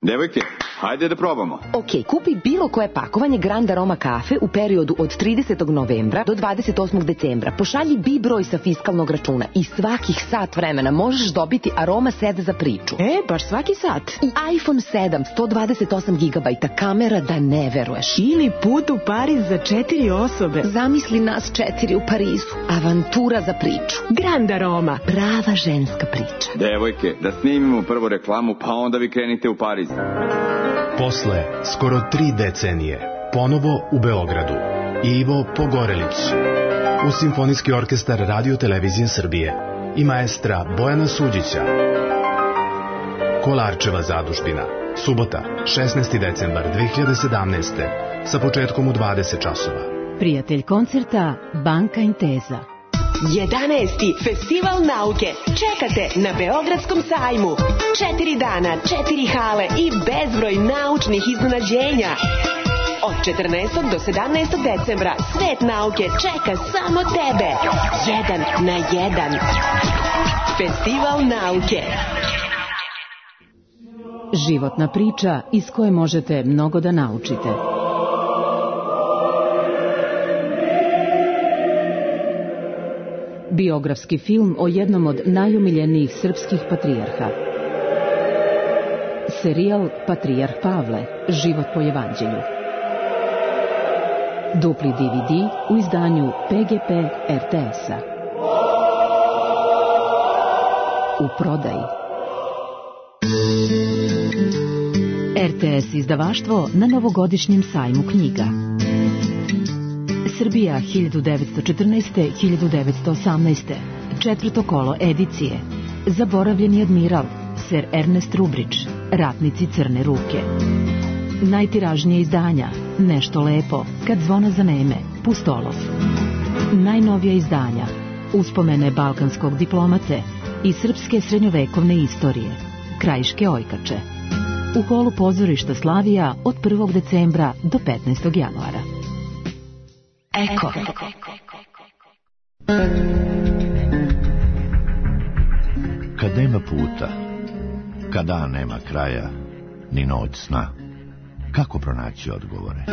Devojke, Hajde da probamo. Ok, kupi bilo koje pakovanje Grand Aroma kafe u periodu od tridesetog novembra do dvadeset osmog decembra. Pošalji B I broj sa fiskalnog računa i svakih sat vremena možeš dobiti Aroma set za priču. E, baš svaki sat. I iPhone sedam, sto dvadeset osam gigabajta, kamera da ne veruješ. Ili put u Pariz za četiri osobe. Zamisli nas četiri u Parizu. Avantura za priču. Grand Aroma. Prava ženska priča. Devojke, da snimimo prvo reklamu, pa onda vi krenite u Pariz. Posle skoro tri decenije, ponovo u Beogradu, Ivo Pogorelić, u Simfonijski orkestar Radio Televizije Srbije i maestra Bojana Suđića. Kolarčeva zadužbina, subota, šesnaesti decembar dve hiljade sedamnaeste. sa početkom u dvadeset časova. Prijatelj koncerta Banka Inteza. jedanaesti Festival nauke čekate na Beogradskom sajmu. Četiri dana, četiri hale i bezbroj naučnih iznenađenja. Od četrnaestog do sedamnaestog decembra svet nauke čeka samo tebe. Jedan na jedan. Festival nauke. Životna priča iz koje možete mnogo da naučite. Biografski film o jednom od najomiljenijih srpskih patrijarha. Serijal Patrijarh Pavle, život po evanđelju. Dupli D V D u izdanju P G P R T S-a. U prodaji. R T S izdavaštvo na novogodišnjem sajmu knjiga. Srbija hiljadu devetsto četrnaeste do hiljadu devetsto osamnaeste. Četvrto kolo edicije. Zaboravljeni admiral, ser Ernest Rubrić, Ratnici crne ruke. Najtiražnije izdanja, Nešto lepo, Kad zvona zaneme, Pustolov. Najnovija izdanja, Uspomene balkanskog diplomate i srpske srednjovekovne istorije, Krajiške ojkače. U holu pozorišta Slavija od prvog decembra do petnaestog januara. Eko. Kad nema puta, kad dan nema kraja, ni noć sna, kako pronaći odgovore?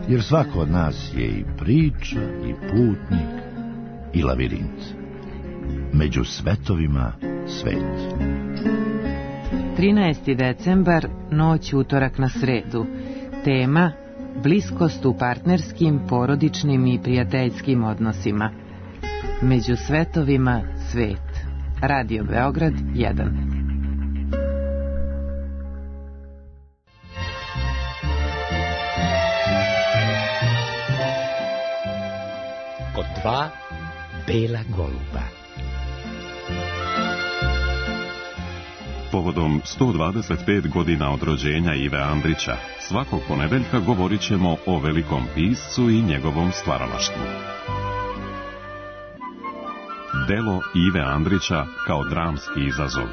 Jer svako od nas je i priča, i putnik, i lavirint. Među svetovima svet. trinaesti decembar, noć utorak na sredu. Tema: bliskost u partnerskim, porodičnim i prijateljskim odnosima. Među svetovima svet. Radio Beograd jedan. Kod dva bela goluba. Povodom sto dvadeset pet godina od rođenja Ive Andrića, svakog ponedeljka govorit ćemo o velikom piscu i njegovom stvaralaštvu. Delo Ive Andrića kao dramski izazov.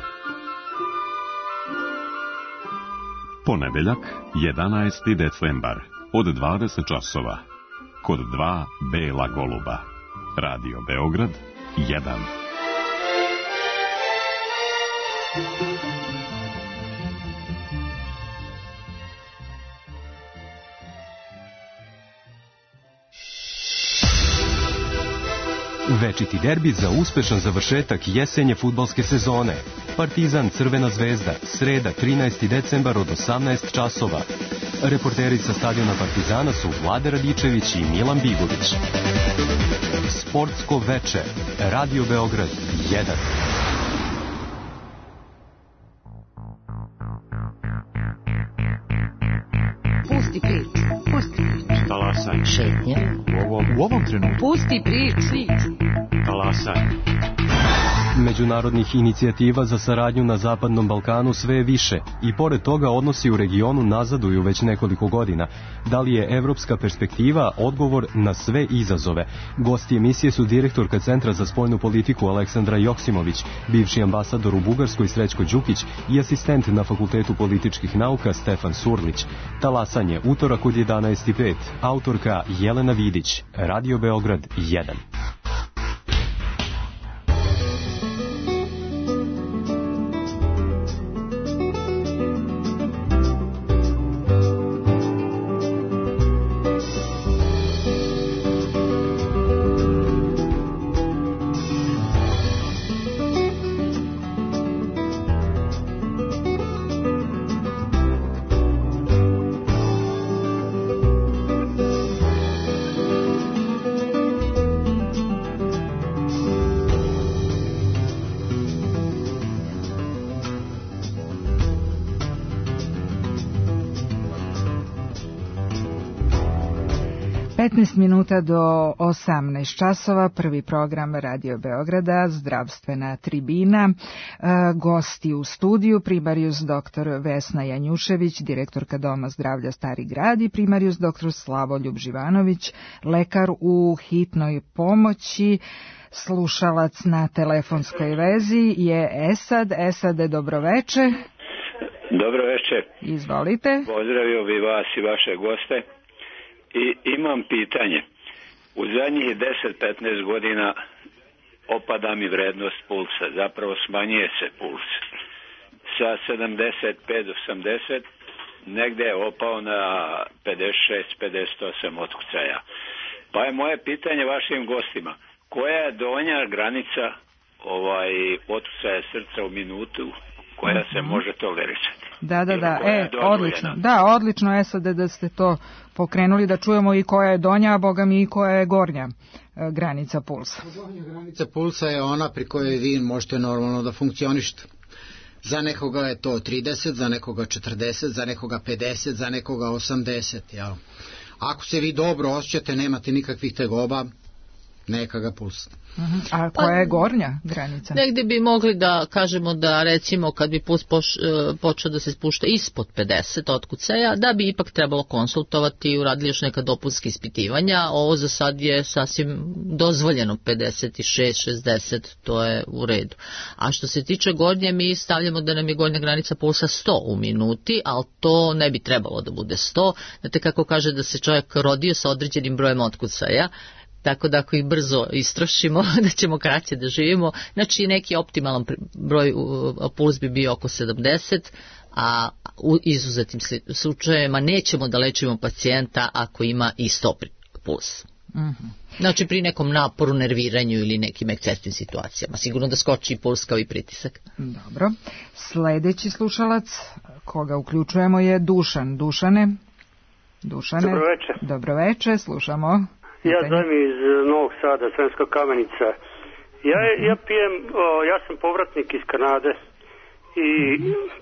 Ponedeljak, jedanaesti decembar, od dvadeset časova. Kod dva bela goluba. Radio Beograd jedan. Večiti derbi za uspešan završetak jesenje fudbalske sezone. Partizan Crvena zvezda, sreda trinaesti decembar od osamnaest časova. Reporteri sa stadiona Partizana su Vlade Radičević i Milan Bigović. Sportsko veče, Radio Beograd jedan. Pusti priču, pusti priču. Talasaj. Šetnje. U ovom, u ovom trenutku. Pusti priču. Talasaj. Međunarodnih inicijativa za saradnju na Zapadnom Balkanu sve je više i pored toga odnosi u regionu nazaduju već nekoliko godina. Da li je evropska perspektiva odgovor na sve izazove? Gosti emisije su direktorka Centra za spoljnu politiku Aleksandra Joksimović, bivši ambasador u Bugarskoj Srećko Đukić i asistent na Fakultetu političkih nauka Stefan Surlić. Talasanje, utorak od jedanaest i pet, autorka Jelena Vidić, Radio Beograd jedan. petnaest minuta do osamnaest časova, prvi program Radio Beograda, zdravstvena tribina. E, gosti u studiju, primarijus doktor Vesna Janjušević, direktorka Doma zdravlja Stari grad, i primarijus doktor Slavoljub Živanović, lekar u hitnoj pomoći. Slušalac na telefonskoj vezi je Esad. Esade, dobroveče. Dobroveče. Izvolite. Pozdravio bi vas i vaše goste. I imam pitanje. U zadnjih deset do petnaest godina opada mi vrednost pulsa. Zapravo smanjuje se puls. Sa sedamdeset pet do osamdeset negde je opao na pedeset šest pedeset osam otkucaja. Pa je moje pitanje vašim gostima. Koja je donja granica ovaj otkucaja srca u minutu koja se može tolerisati? Da, da, da, e, odlično. Da, odlično je sad da ste to pokrenuli, da čujemo i koja je donja, a boga mi i koja je gornja e, granica pulsa. Donja granica pulsa je ona pri kojoj vi možete normalno da funkcionišete. Za nekoga je to trideset, za nekoga četrdeset, za nekoga pedeset, za nekoga osamdeset, jel? Ako se vi dobro osjećate, nemate nikakvih tegoba, neka ga pustite. Uh-huh. A koja je gornja granica? Negdje bi mogli da kažemo da recimo kad bi puls poš, počeo da se spušta ispod pedeset otkucaja, da bi ipak trebalo konsultovati i uradili još neka dopunska ispitivanja. Ovo za sad je sasvim dozvoljeno, pedeset šest šezdeset, to je u redu. A što se tiče gornje, mi stavljamo da nam je gornja granica pulsa sto u minuti, ali to ne bi trebalo da bude sto. Znate kako kaže da se čovjek rodio sa određenim brojem otkucaja, tako da ako ih brzo istrošimo, da ćemo kraće da živimo. Znači neki optimalan broj puls bi bio oko sedamdeset, a u izuzetnim slučajevima nećemo da lečimo pacijenta ako ima i sto puls. Mm-hmm. Znači pri nekom naporu, nerviranju ili nekim ekscesnim situacijama. Sigurno da skoči i puls kao i pritisak. Dobro. Sljedeći slušalac koga uključujemo je Dušan. Dušane? Dušane? Dobroveče. Dobroveče, slušamo. Ja zovem iz Novog Sada, Sremska Kamenica. Ja, ja pijem, o, ja sam povratnik iz Kanade i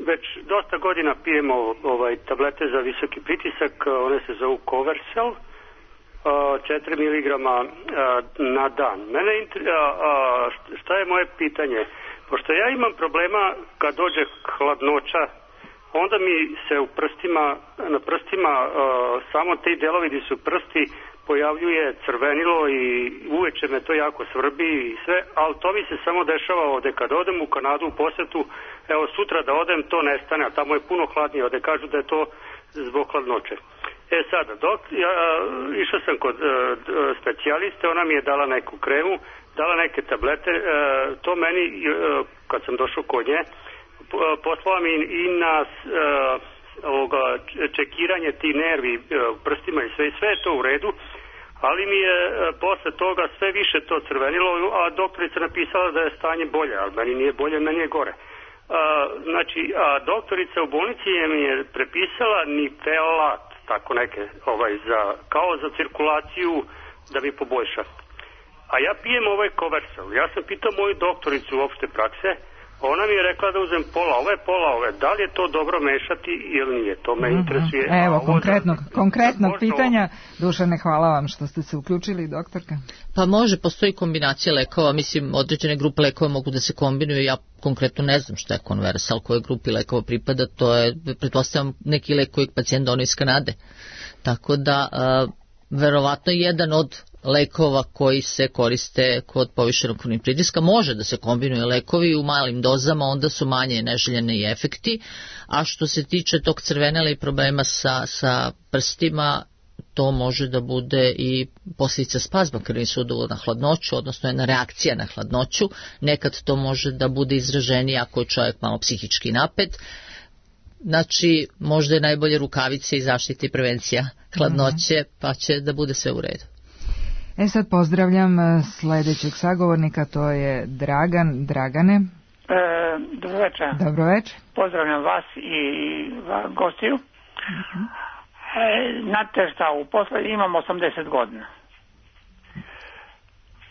već dosta godina pijemo ovaj, tablete za visoki pritisak, one se zovu Coversel, četiri miligrama na dan. Mene, a, a, šta je moje pitanje? Pošto ja imam problema kad dođe hladnoća, onda mi se u prstima, na prstima a, samo te delovi gdje su prsti pojavljuje crvenilo i uveče me to jako svrbi i sve, ali to mi se samo dešava ovde. Kad odem u Kanadu u posetu, evo sutra da odem, to nestane, a tamo je puno hladnije, ovde kažu da je to zbog hladnoće. E sada, dok ja išao sam kod uh, specijaliste, ona mi je dala neku kremu, dala neke tablete, uh, to meni, uh, kad sam došao kod nje, uh, poslala mi i na uh, ovoga, čekiranje ti nervi uh, prstima i sve, sve je to u redu, ali mi je uh, posle toga sve više to crvenilo, a doktorica napisala da je stanje bolje, ali meni nije bolje, meni je gore. Uh, znači, a doktorica u bolnici je mi je prepisala Nifelat, tako neke, ovaj, za, kao za cirkulaciju da mi poboljša. A ja pijem ovaj Coversel. Ja sam pitao moju doktoricu opšte prakse, ona mi je rekla da uzem pola ove, pola ove. Da li je to dobro mešati ili nije? To me mm-hmm. interesuje. Evo, konkretnog, da, konkretnog pitanja. Dušane, hvala vam što ste se uključili, doktorka. Pa može, postoji kombinacija lekova. Mislim, određene grupe lekova mogu da se kombinuju. Ja konkretno ne znam šta je Conversal, koje grupi lekova pripada. To je, pretpostavljam, neki lek koji pacijent donio iz Kanade. Tako da, uh, verovatno jedan od lekova koji se koriste kod povišenog krvnog pritiska, može da se kombinuje lekovi u malim dozama, onda su manje neželjeni efekti, a što se tiče tog crvenela i problema sa, sa prstima, to može da bude i posljedica spazma krvnih sudova na hladnoću, odnosno jedna reakcija na hladnoću. Nekad to može da bude izraženije ako je čovjek malo psihički napet. Znači, možda je najbolje rukavice i zaštita i prevencija hladnoće, pa će da bude sve u redu. E sad pozdravljam sljedećeg sagovornika, to je Dragan. Dragane. E, dobroveče. Dobroveče. Pozdravljam vas i gostiju. Uh-huh. E, znate šta, u posle imam osamdeset godina.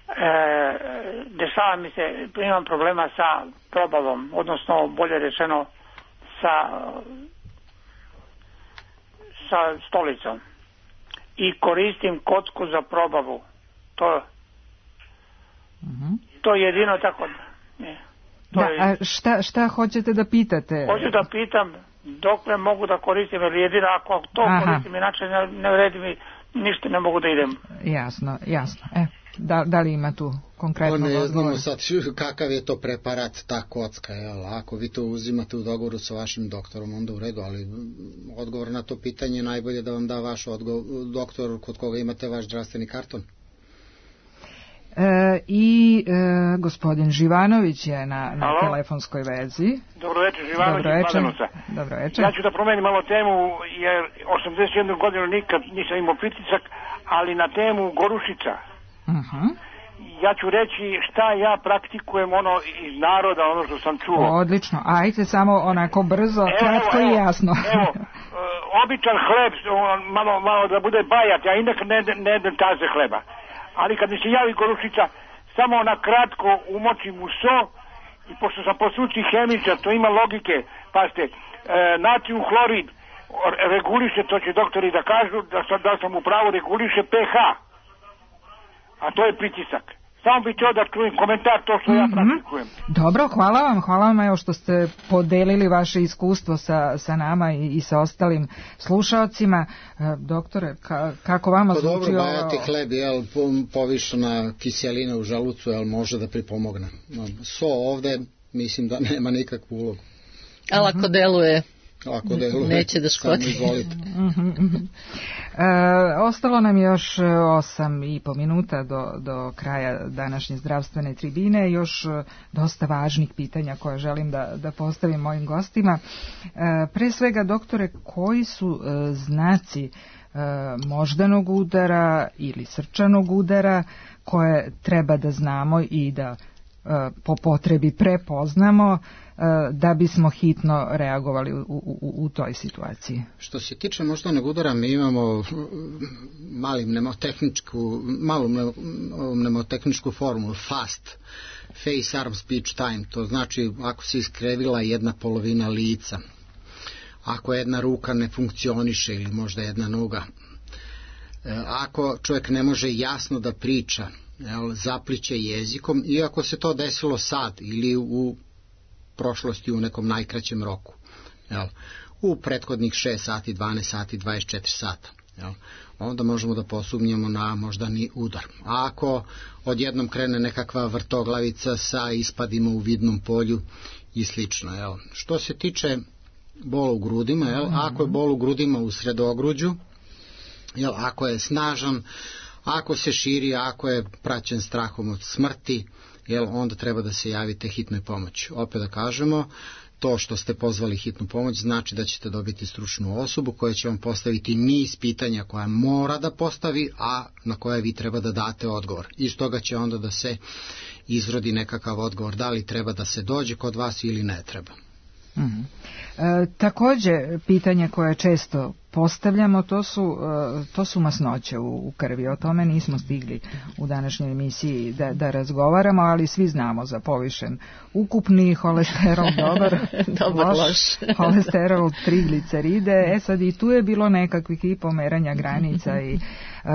E, dešava mi se, imam problema sa probavom, odnosno bolje rečeno sa, sa stolicom. i koristim kocku za probavu. To, uh-huh. to je jedino tako. Ne, to da, je... A šta, šta hoćete da pitate? Hoću da pitam dokle mogu da koristim, jer jedino ako to Aha. koristim, inače ne, ne vredi mi, ništa ne mogu da idem. Jasno, jasno. E, da, da li ima tu konkretno ne odgovor? znamo sad kakav je to preparat, ta kocka, jel? Ako vi to uzimate u dogovoru sa vašim doktorom, onda u redu, ali odgovor na to pitanje je najbolje da vam da vaš odgovor, doktor kod koga imate vaš zdravstveni karton. E, I e, gospodin Živanović je na, na telefonskoj vezi. Dobro večer, Živanović iz Mladenovca. Dobro večer. Ja ću da promenim malo temu, jer osamdeset jednu godinu nikad nisam imao pritisak, ali na temu Gorušica. Uh-huh. Ja ću reći šta ja praktikujem ono iz naroda, ono što sam čuo. Odlično, ajte samo onako brzo, evo, kratko evo, i jasno. Evo, uh, običan hleb, malo, malo da bude bajat, ja inak ne, ne jedem taze hleba. Ali kad mi se javi Gorušica, samo na kratko umočim u so, i pošto sam po struci hemičar, to ima logike, pazite, e, natrium hlorid reguliše, to će doktori da kažu, da sam, da sam u pravu, reguliše pH, a to je pritisak. Samo bih htio da čujem komentar to što ja praktikujem. Dobro, hvala vam, hvala vam evo što ste podelili vaše iskustvo sa, sa nama i, i sa ostalim slušaocima. E, doktore, ka, kako vama to zvuči dobro, ovo? bajati hleb, jel, povišena kiselina u želucu, jel, može da pripomogne. So ovde, mislim da nema nikakvu ulogu. Ali ako deluje, ako deluje, neće da škodi. Samo izvolite. E, ostalo nam još osam i po minuta do, do kraja današnje zdravstvene tribine, još dosta važnih pitanja koje želim da, da postavim mojim gostima. E, pre svega, doktore, koji su e, znaci e, moždanog udara ili srčanog udara koje treba da znamo i da e, po potrebi prepoznamo da bismo hitno reagovali u, u, u toj situaciji? Što se tiče moždanog udara, mi imamo malim mnemotehničku, malu mnemotehničku formulu, FAST, Face, Arm, Speech, Time. To znači ako se iskrevila jedna polovina lica, ako jedna ruka ne funkcioniše ili možda jedna noga, ako čovjek ne može jasno da priča, jel, zapliće jezikom, i ako se to desilo sad ili u prošlosti u nekom najkraćem roku, jel, u prethodnih šest sati, dvanaest sati, dvadeset četiri sata, jel, onda možemo da posumnjamo na moždani udar. A ako odjednom krene nekakva vrtoglavica sa ispadima u vidnom polju i slično, jel. Što se tiče bola u grudima, jel, ako je bol u grudima u sredogruđu, jel, ako je snažan, ako se širi, ako je praćen strahom od smrti, jel, onda treba da se javite hitnoj pomoći. Opet da kažemo, to što ste pozvali hitnu pomoć znači da ćete dobiti stručnu osobu koja će vam postaviti niz pitanja koja mora da postavi, a na koje vi treba da date odgovor. Iz toga će onda da se izrodi nekakav odgovor, da li treba da se dođe kod vas ili ne treba. Mm-hmm. E, takođe, pitanje koje često postavljamo, to su, to su masnoće u, u krvi. O tome nismo stigli u današnjoj emisiji da, da razgovaramo, ali svi znamo za povišen ukupni holesterol, dobar, dobar loš, loš. holesterol, trigliceride. E sad i tu je bilo nekakvih i pomeranja granica i Uh,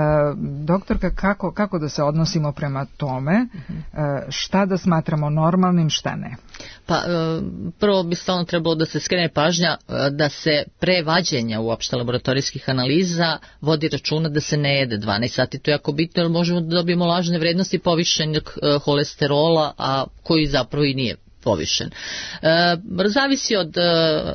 doktorka, kako, kako da se odnosimo prema tome, uh, šta da smatramo normalnim, šta ne? Pa uh, prvo bi stalno trebalo da se skrene pažnja uh, da se pre vađenja uopšte laboratorijskih analiza vodi računa da se ne jede dvanaest sati. To je jako bitno jer možemo da dobijemo lažne vrednosti povišenog uh, holesterola, a koji zapravo i nije povišen. E, zavisi od e,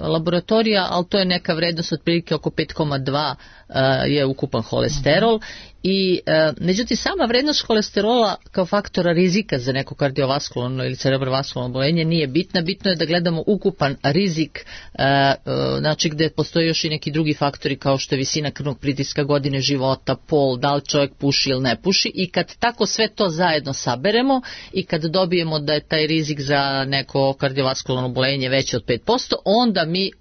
laboratorija, ali to je neka vrednost otprilike oko pet zarez dva e, je ukupan holesterol. I e, međutim sama vrednost holesterola kao faktora rizika za neko kardiovaskularno ili cerebrovaskularno oboljenje nije bitna. Bitno je da gledamo ukupan rizik, e, e, znači gde postoje još i neki drugi faktori kao što je visina krvnog pritiska, godine života, pol, da li čovjek puši ili ne puši, i kad tako sve to zajedno saberemo i kad dobijemo da je taj rizik za neko kardiovaskularno oboljenje veći od pet posto, onda mi e,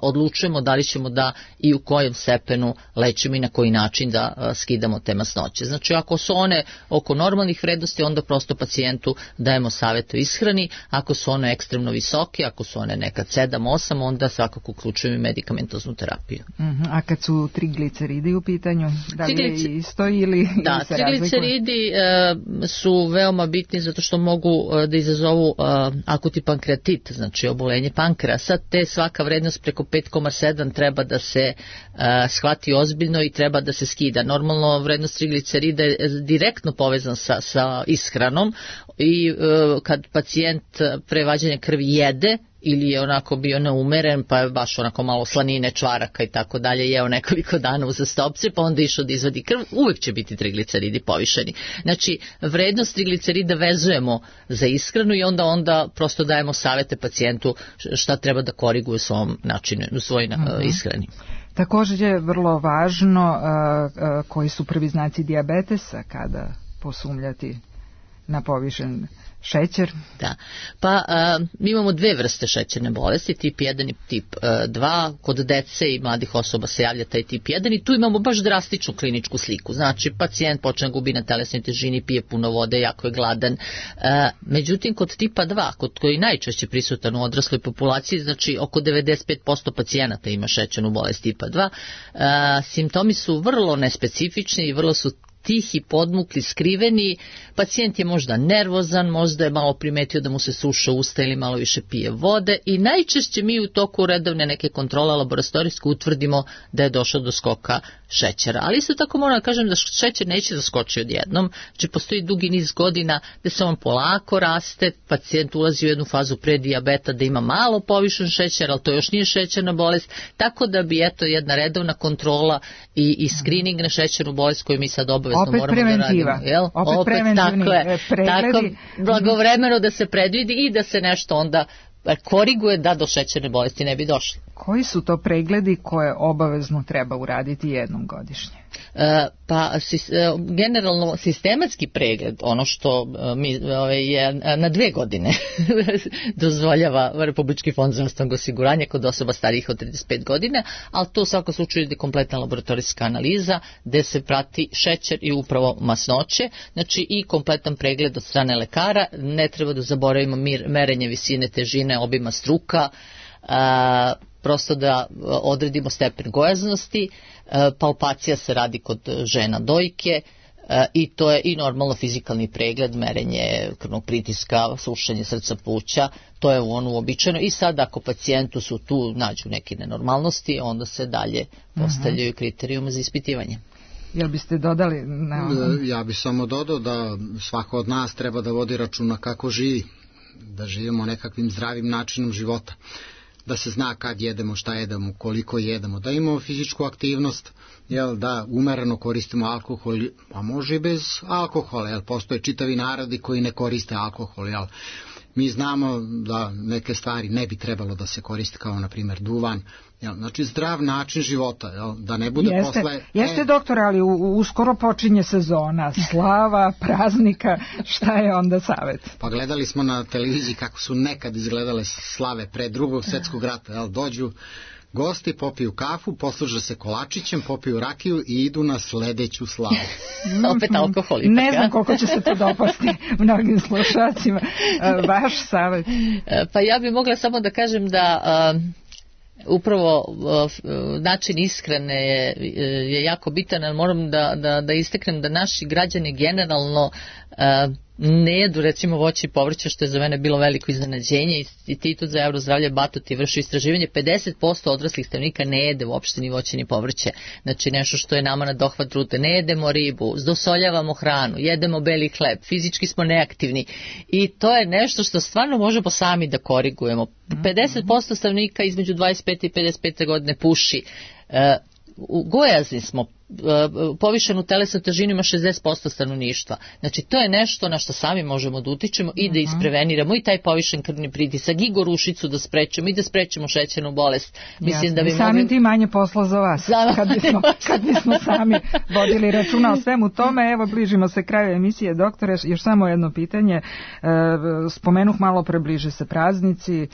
odlučujemo da li ćemo da i u kojem stepenu lečimo i na koji način da e, skidamo te masnoće. Znači ako su one oko normalnih vrednosti, onda prosto pacijentu dajemo savjet o ishrani, ako su one ekstremno visoke, ako su one nekad sedam osam, onda svakako uključujemo i medikamentoznu terapiju. Uh-huh. A kad su trigliceridi u pitanju, da li je isto ili, da, ili se trigliceridi e, su veoma bitni zato što mogu e, da izazovu e, akuti pankreatit, znači obolenje pankreasa, te svaka vrednost preko pet zarez sedam treba da se e, shvati ozbiljno i treba da se skida. Normalno vrednost triglicerida je direktno povezan sa, sa ishranom i e, kad pacijent pre vađenja krvi jede ili je onako bio neumeren, pa je baš onako malo slanine, čvaraka i tako dalje, jeo nekoliko dana uzastopce, pa onda išao da izvadi krv, uvek će biti trigliceridi povišeni. Znači, vrednost triglicerida vezujemo za ishranu i onda onda prosto dajemo savete pacijentu šta treba da koriguje u svom načinu, u svojoj uh-huh. ishrani. Također je vrlo važno uh, uh, koji su prvi znaci dijabetesa kada posumljati na povišen šećer. Da. Pa a, mi imamo dve vrste šećerne bolesti, tip jedan i tip a, dva. Kod dece i mladih osoba se javlja taj tip jedan i tu imamo baš drastičnu kliničku sliku. Znači, pacijent počne gubi na telesnoj težini, pije puno vode, jako je gladan. A, međutim, kod tipa dva, kod koji najčešće prisutan u odrasloj populaciji, znači oko devedeset pet posto pacijenata ima šećernu bolest tipa dva, a, simptomi su vrlo nespecifični i vrlo su tihi, podmukli, skriveni, pacijent je možda nervozan, možda je malo primetio da mu se suša usta ili malo više pije vode i najčešće mi u toku redovne neke kontrole laboratorijske utvrdimo da je došlo do skoka šećera. Ali isto tako moram da kažem da šećer neće da skoči odjednom, znači postoji dugi niz godina da se on polako raste, pacijent ulazi u jednu fazu predijabeta da ima malo povišen šećer, ali to još nije šećerna bolest, tako da bi eto jedna redovna kontrola i, i screening na šećernu bolest koju mi sad obavezno opet moramo preventiva. da radimo. Jel? Opet, opet preventivni takle, pregledi. Tako blagovremeno da se predvidi i da se nešto onda koriguje da do šećerne bolesti ne bi došlo. Koji su to pregledi koje obavezno treba uraditi jednom godišnje? E, pa sis, e, generalno sistematski pregled, ono što e, mi ove, je na dve godine dozvoljava Republički fond zdravstvenog osiguranja kod osoba starijih od trideset pet godina, ali to u svakom slučaju je kompletna laboratorijska analiza gde se prati šećer i upravo masnoće, znači i kompletan pregled od strane lekara, ne treba da zaboravimo mir, merenje visine težine, obima struka, a, prosto da odredimo stepen gojaznosti, palpacija se radi kod žena dojke i to je i normalno fizikalni pregled, merenje krvnog pritiska, slušanje srca, pluća, to je ono uobičajeno i sad ako pacijentu su tu nađu neke nenormalnosti, onda se dalje postavljaju kriterijumi za ispitivanje. Jel biste dodali? Na... Ja bih samo dodao da svako od nas treba da vodi računa kako živi, da živimo nekakvim zdravim načinom života, da se zna kad jedemo, šta jedemo, koliko jedemo, da imamo fizičku aktivnost, jel, da umereno koristimo alkohol, a može i bez alkohola, jel, postoje čitavi narodi koji ne koriste alkohol, jel. Mi znamo da neke stvari ne bi trebalo da se koriste, kao na primjer duvan, jel, znači zdrav način života, jel, da ne bude jeste, posle... Jeste, e, doktor, ali u, uskoro počinje sezona, slava, praznika, šta je onda savjet? Pa gledali smo na televiziji kako su nekad izgledale slave pre drugog svjetskog rata, jel, dođu gosti, popiju kafu, posluže se kolačićem, popiju rakiju i idu na sledeću slavu. Opet alkohol. Ipak, ne znam koliko će se to dopasti mnogim slušacima. Vaš savjet? Pa ja bih mogla samo da kažem da... Uh, upravo uh, način ishrane je, je jako bitan, ali moram da, da, da istaknem da naši građani generalno uh, ne jedu recimo voće i povrće, što je za mene bilo veliko iznenađenje. Institut za Eurozdravlje Batut je vršio istraživanje, pedeset posto odraslih stanovnika ne jede uopšte ni voće ni povrće, znači nešto što je nama na dohvat rute. Ne jedemo ribu, dosoljavamo hranu, jedemo beli hleb, fizički smo neaktivni i to je nešto što stvarno možemo sami da korigujemo. pedeset posto stanovnika između dvadeset pet i pedeset pet godine puši, gojazni smo, povišenu telesnu težinu ima šezdeset posto stanovništva. Znači to je nešto na što sami možemo da utičemo i da ispreveniramo i taj povišen krvni pritisak i gorušicu da sprečemo i da sprečemo šećernu bolest. Mislim da bi samim mogli... ti manje posla za vas za... kad, bismo, kad bismo sami vodili računa o svemu tome. Evo, bližimo se kraju emisije, doktore, još samo jedno pitanje. Spomenuh malo pre, bliže se praznici,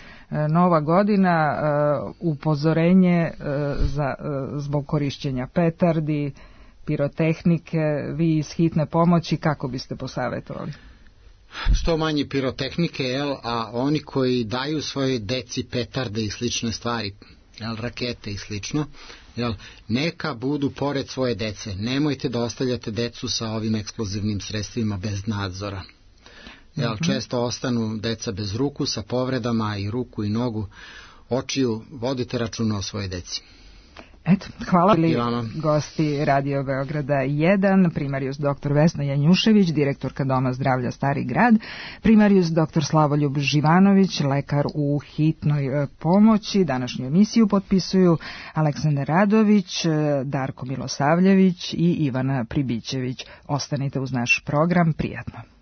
Nova godina, upozorenje za, zbog korišćenja petardi, pirotehnike, vi iz hitne pomoći, kako biste posavjetovali? Što manje pirotehnike, jel, a oni koji daju svojoj deci petarde i slične stvari, jel, rakete i slično, jel, neka budu pored svoje dece. Nemojte da ostavljate decu sa ovim eksplozivnim sredstvima bez nadzora. Jel, mm-hmm. Često ostanu deca bez ruku, sa povredama i ruku i nogu, očiju, vodite računa o svojoj deci. Eto, hvala li gosti Radio Beograda jedan, primarijus doktor Vesna Janjušević, direktorka Doma zdravlja Stari grad, primarijus doktor Slavoljub Živanović, lekar u hitnoj pomoći. Današnju emisiju potpisuju Aleksandar Radović, Darko Milosavljević i Ivana Pribićević. Ostanite uz naš program, prijatno.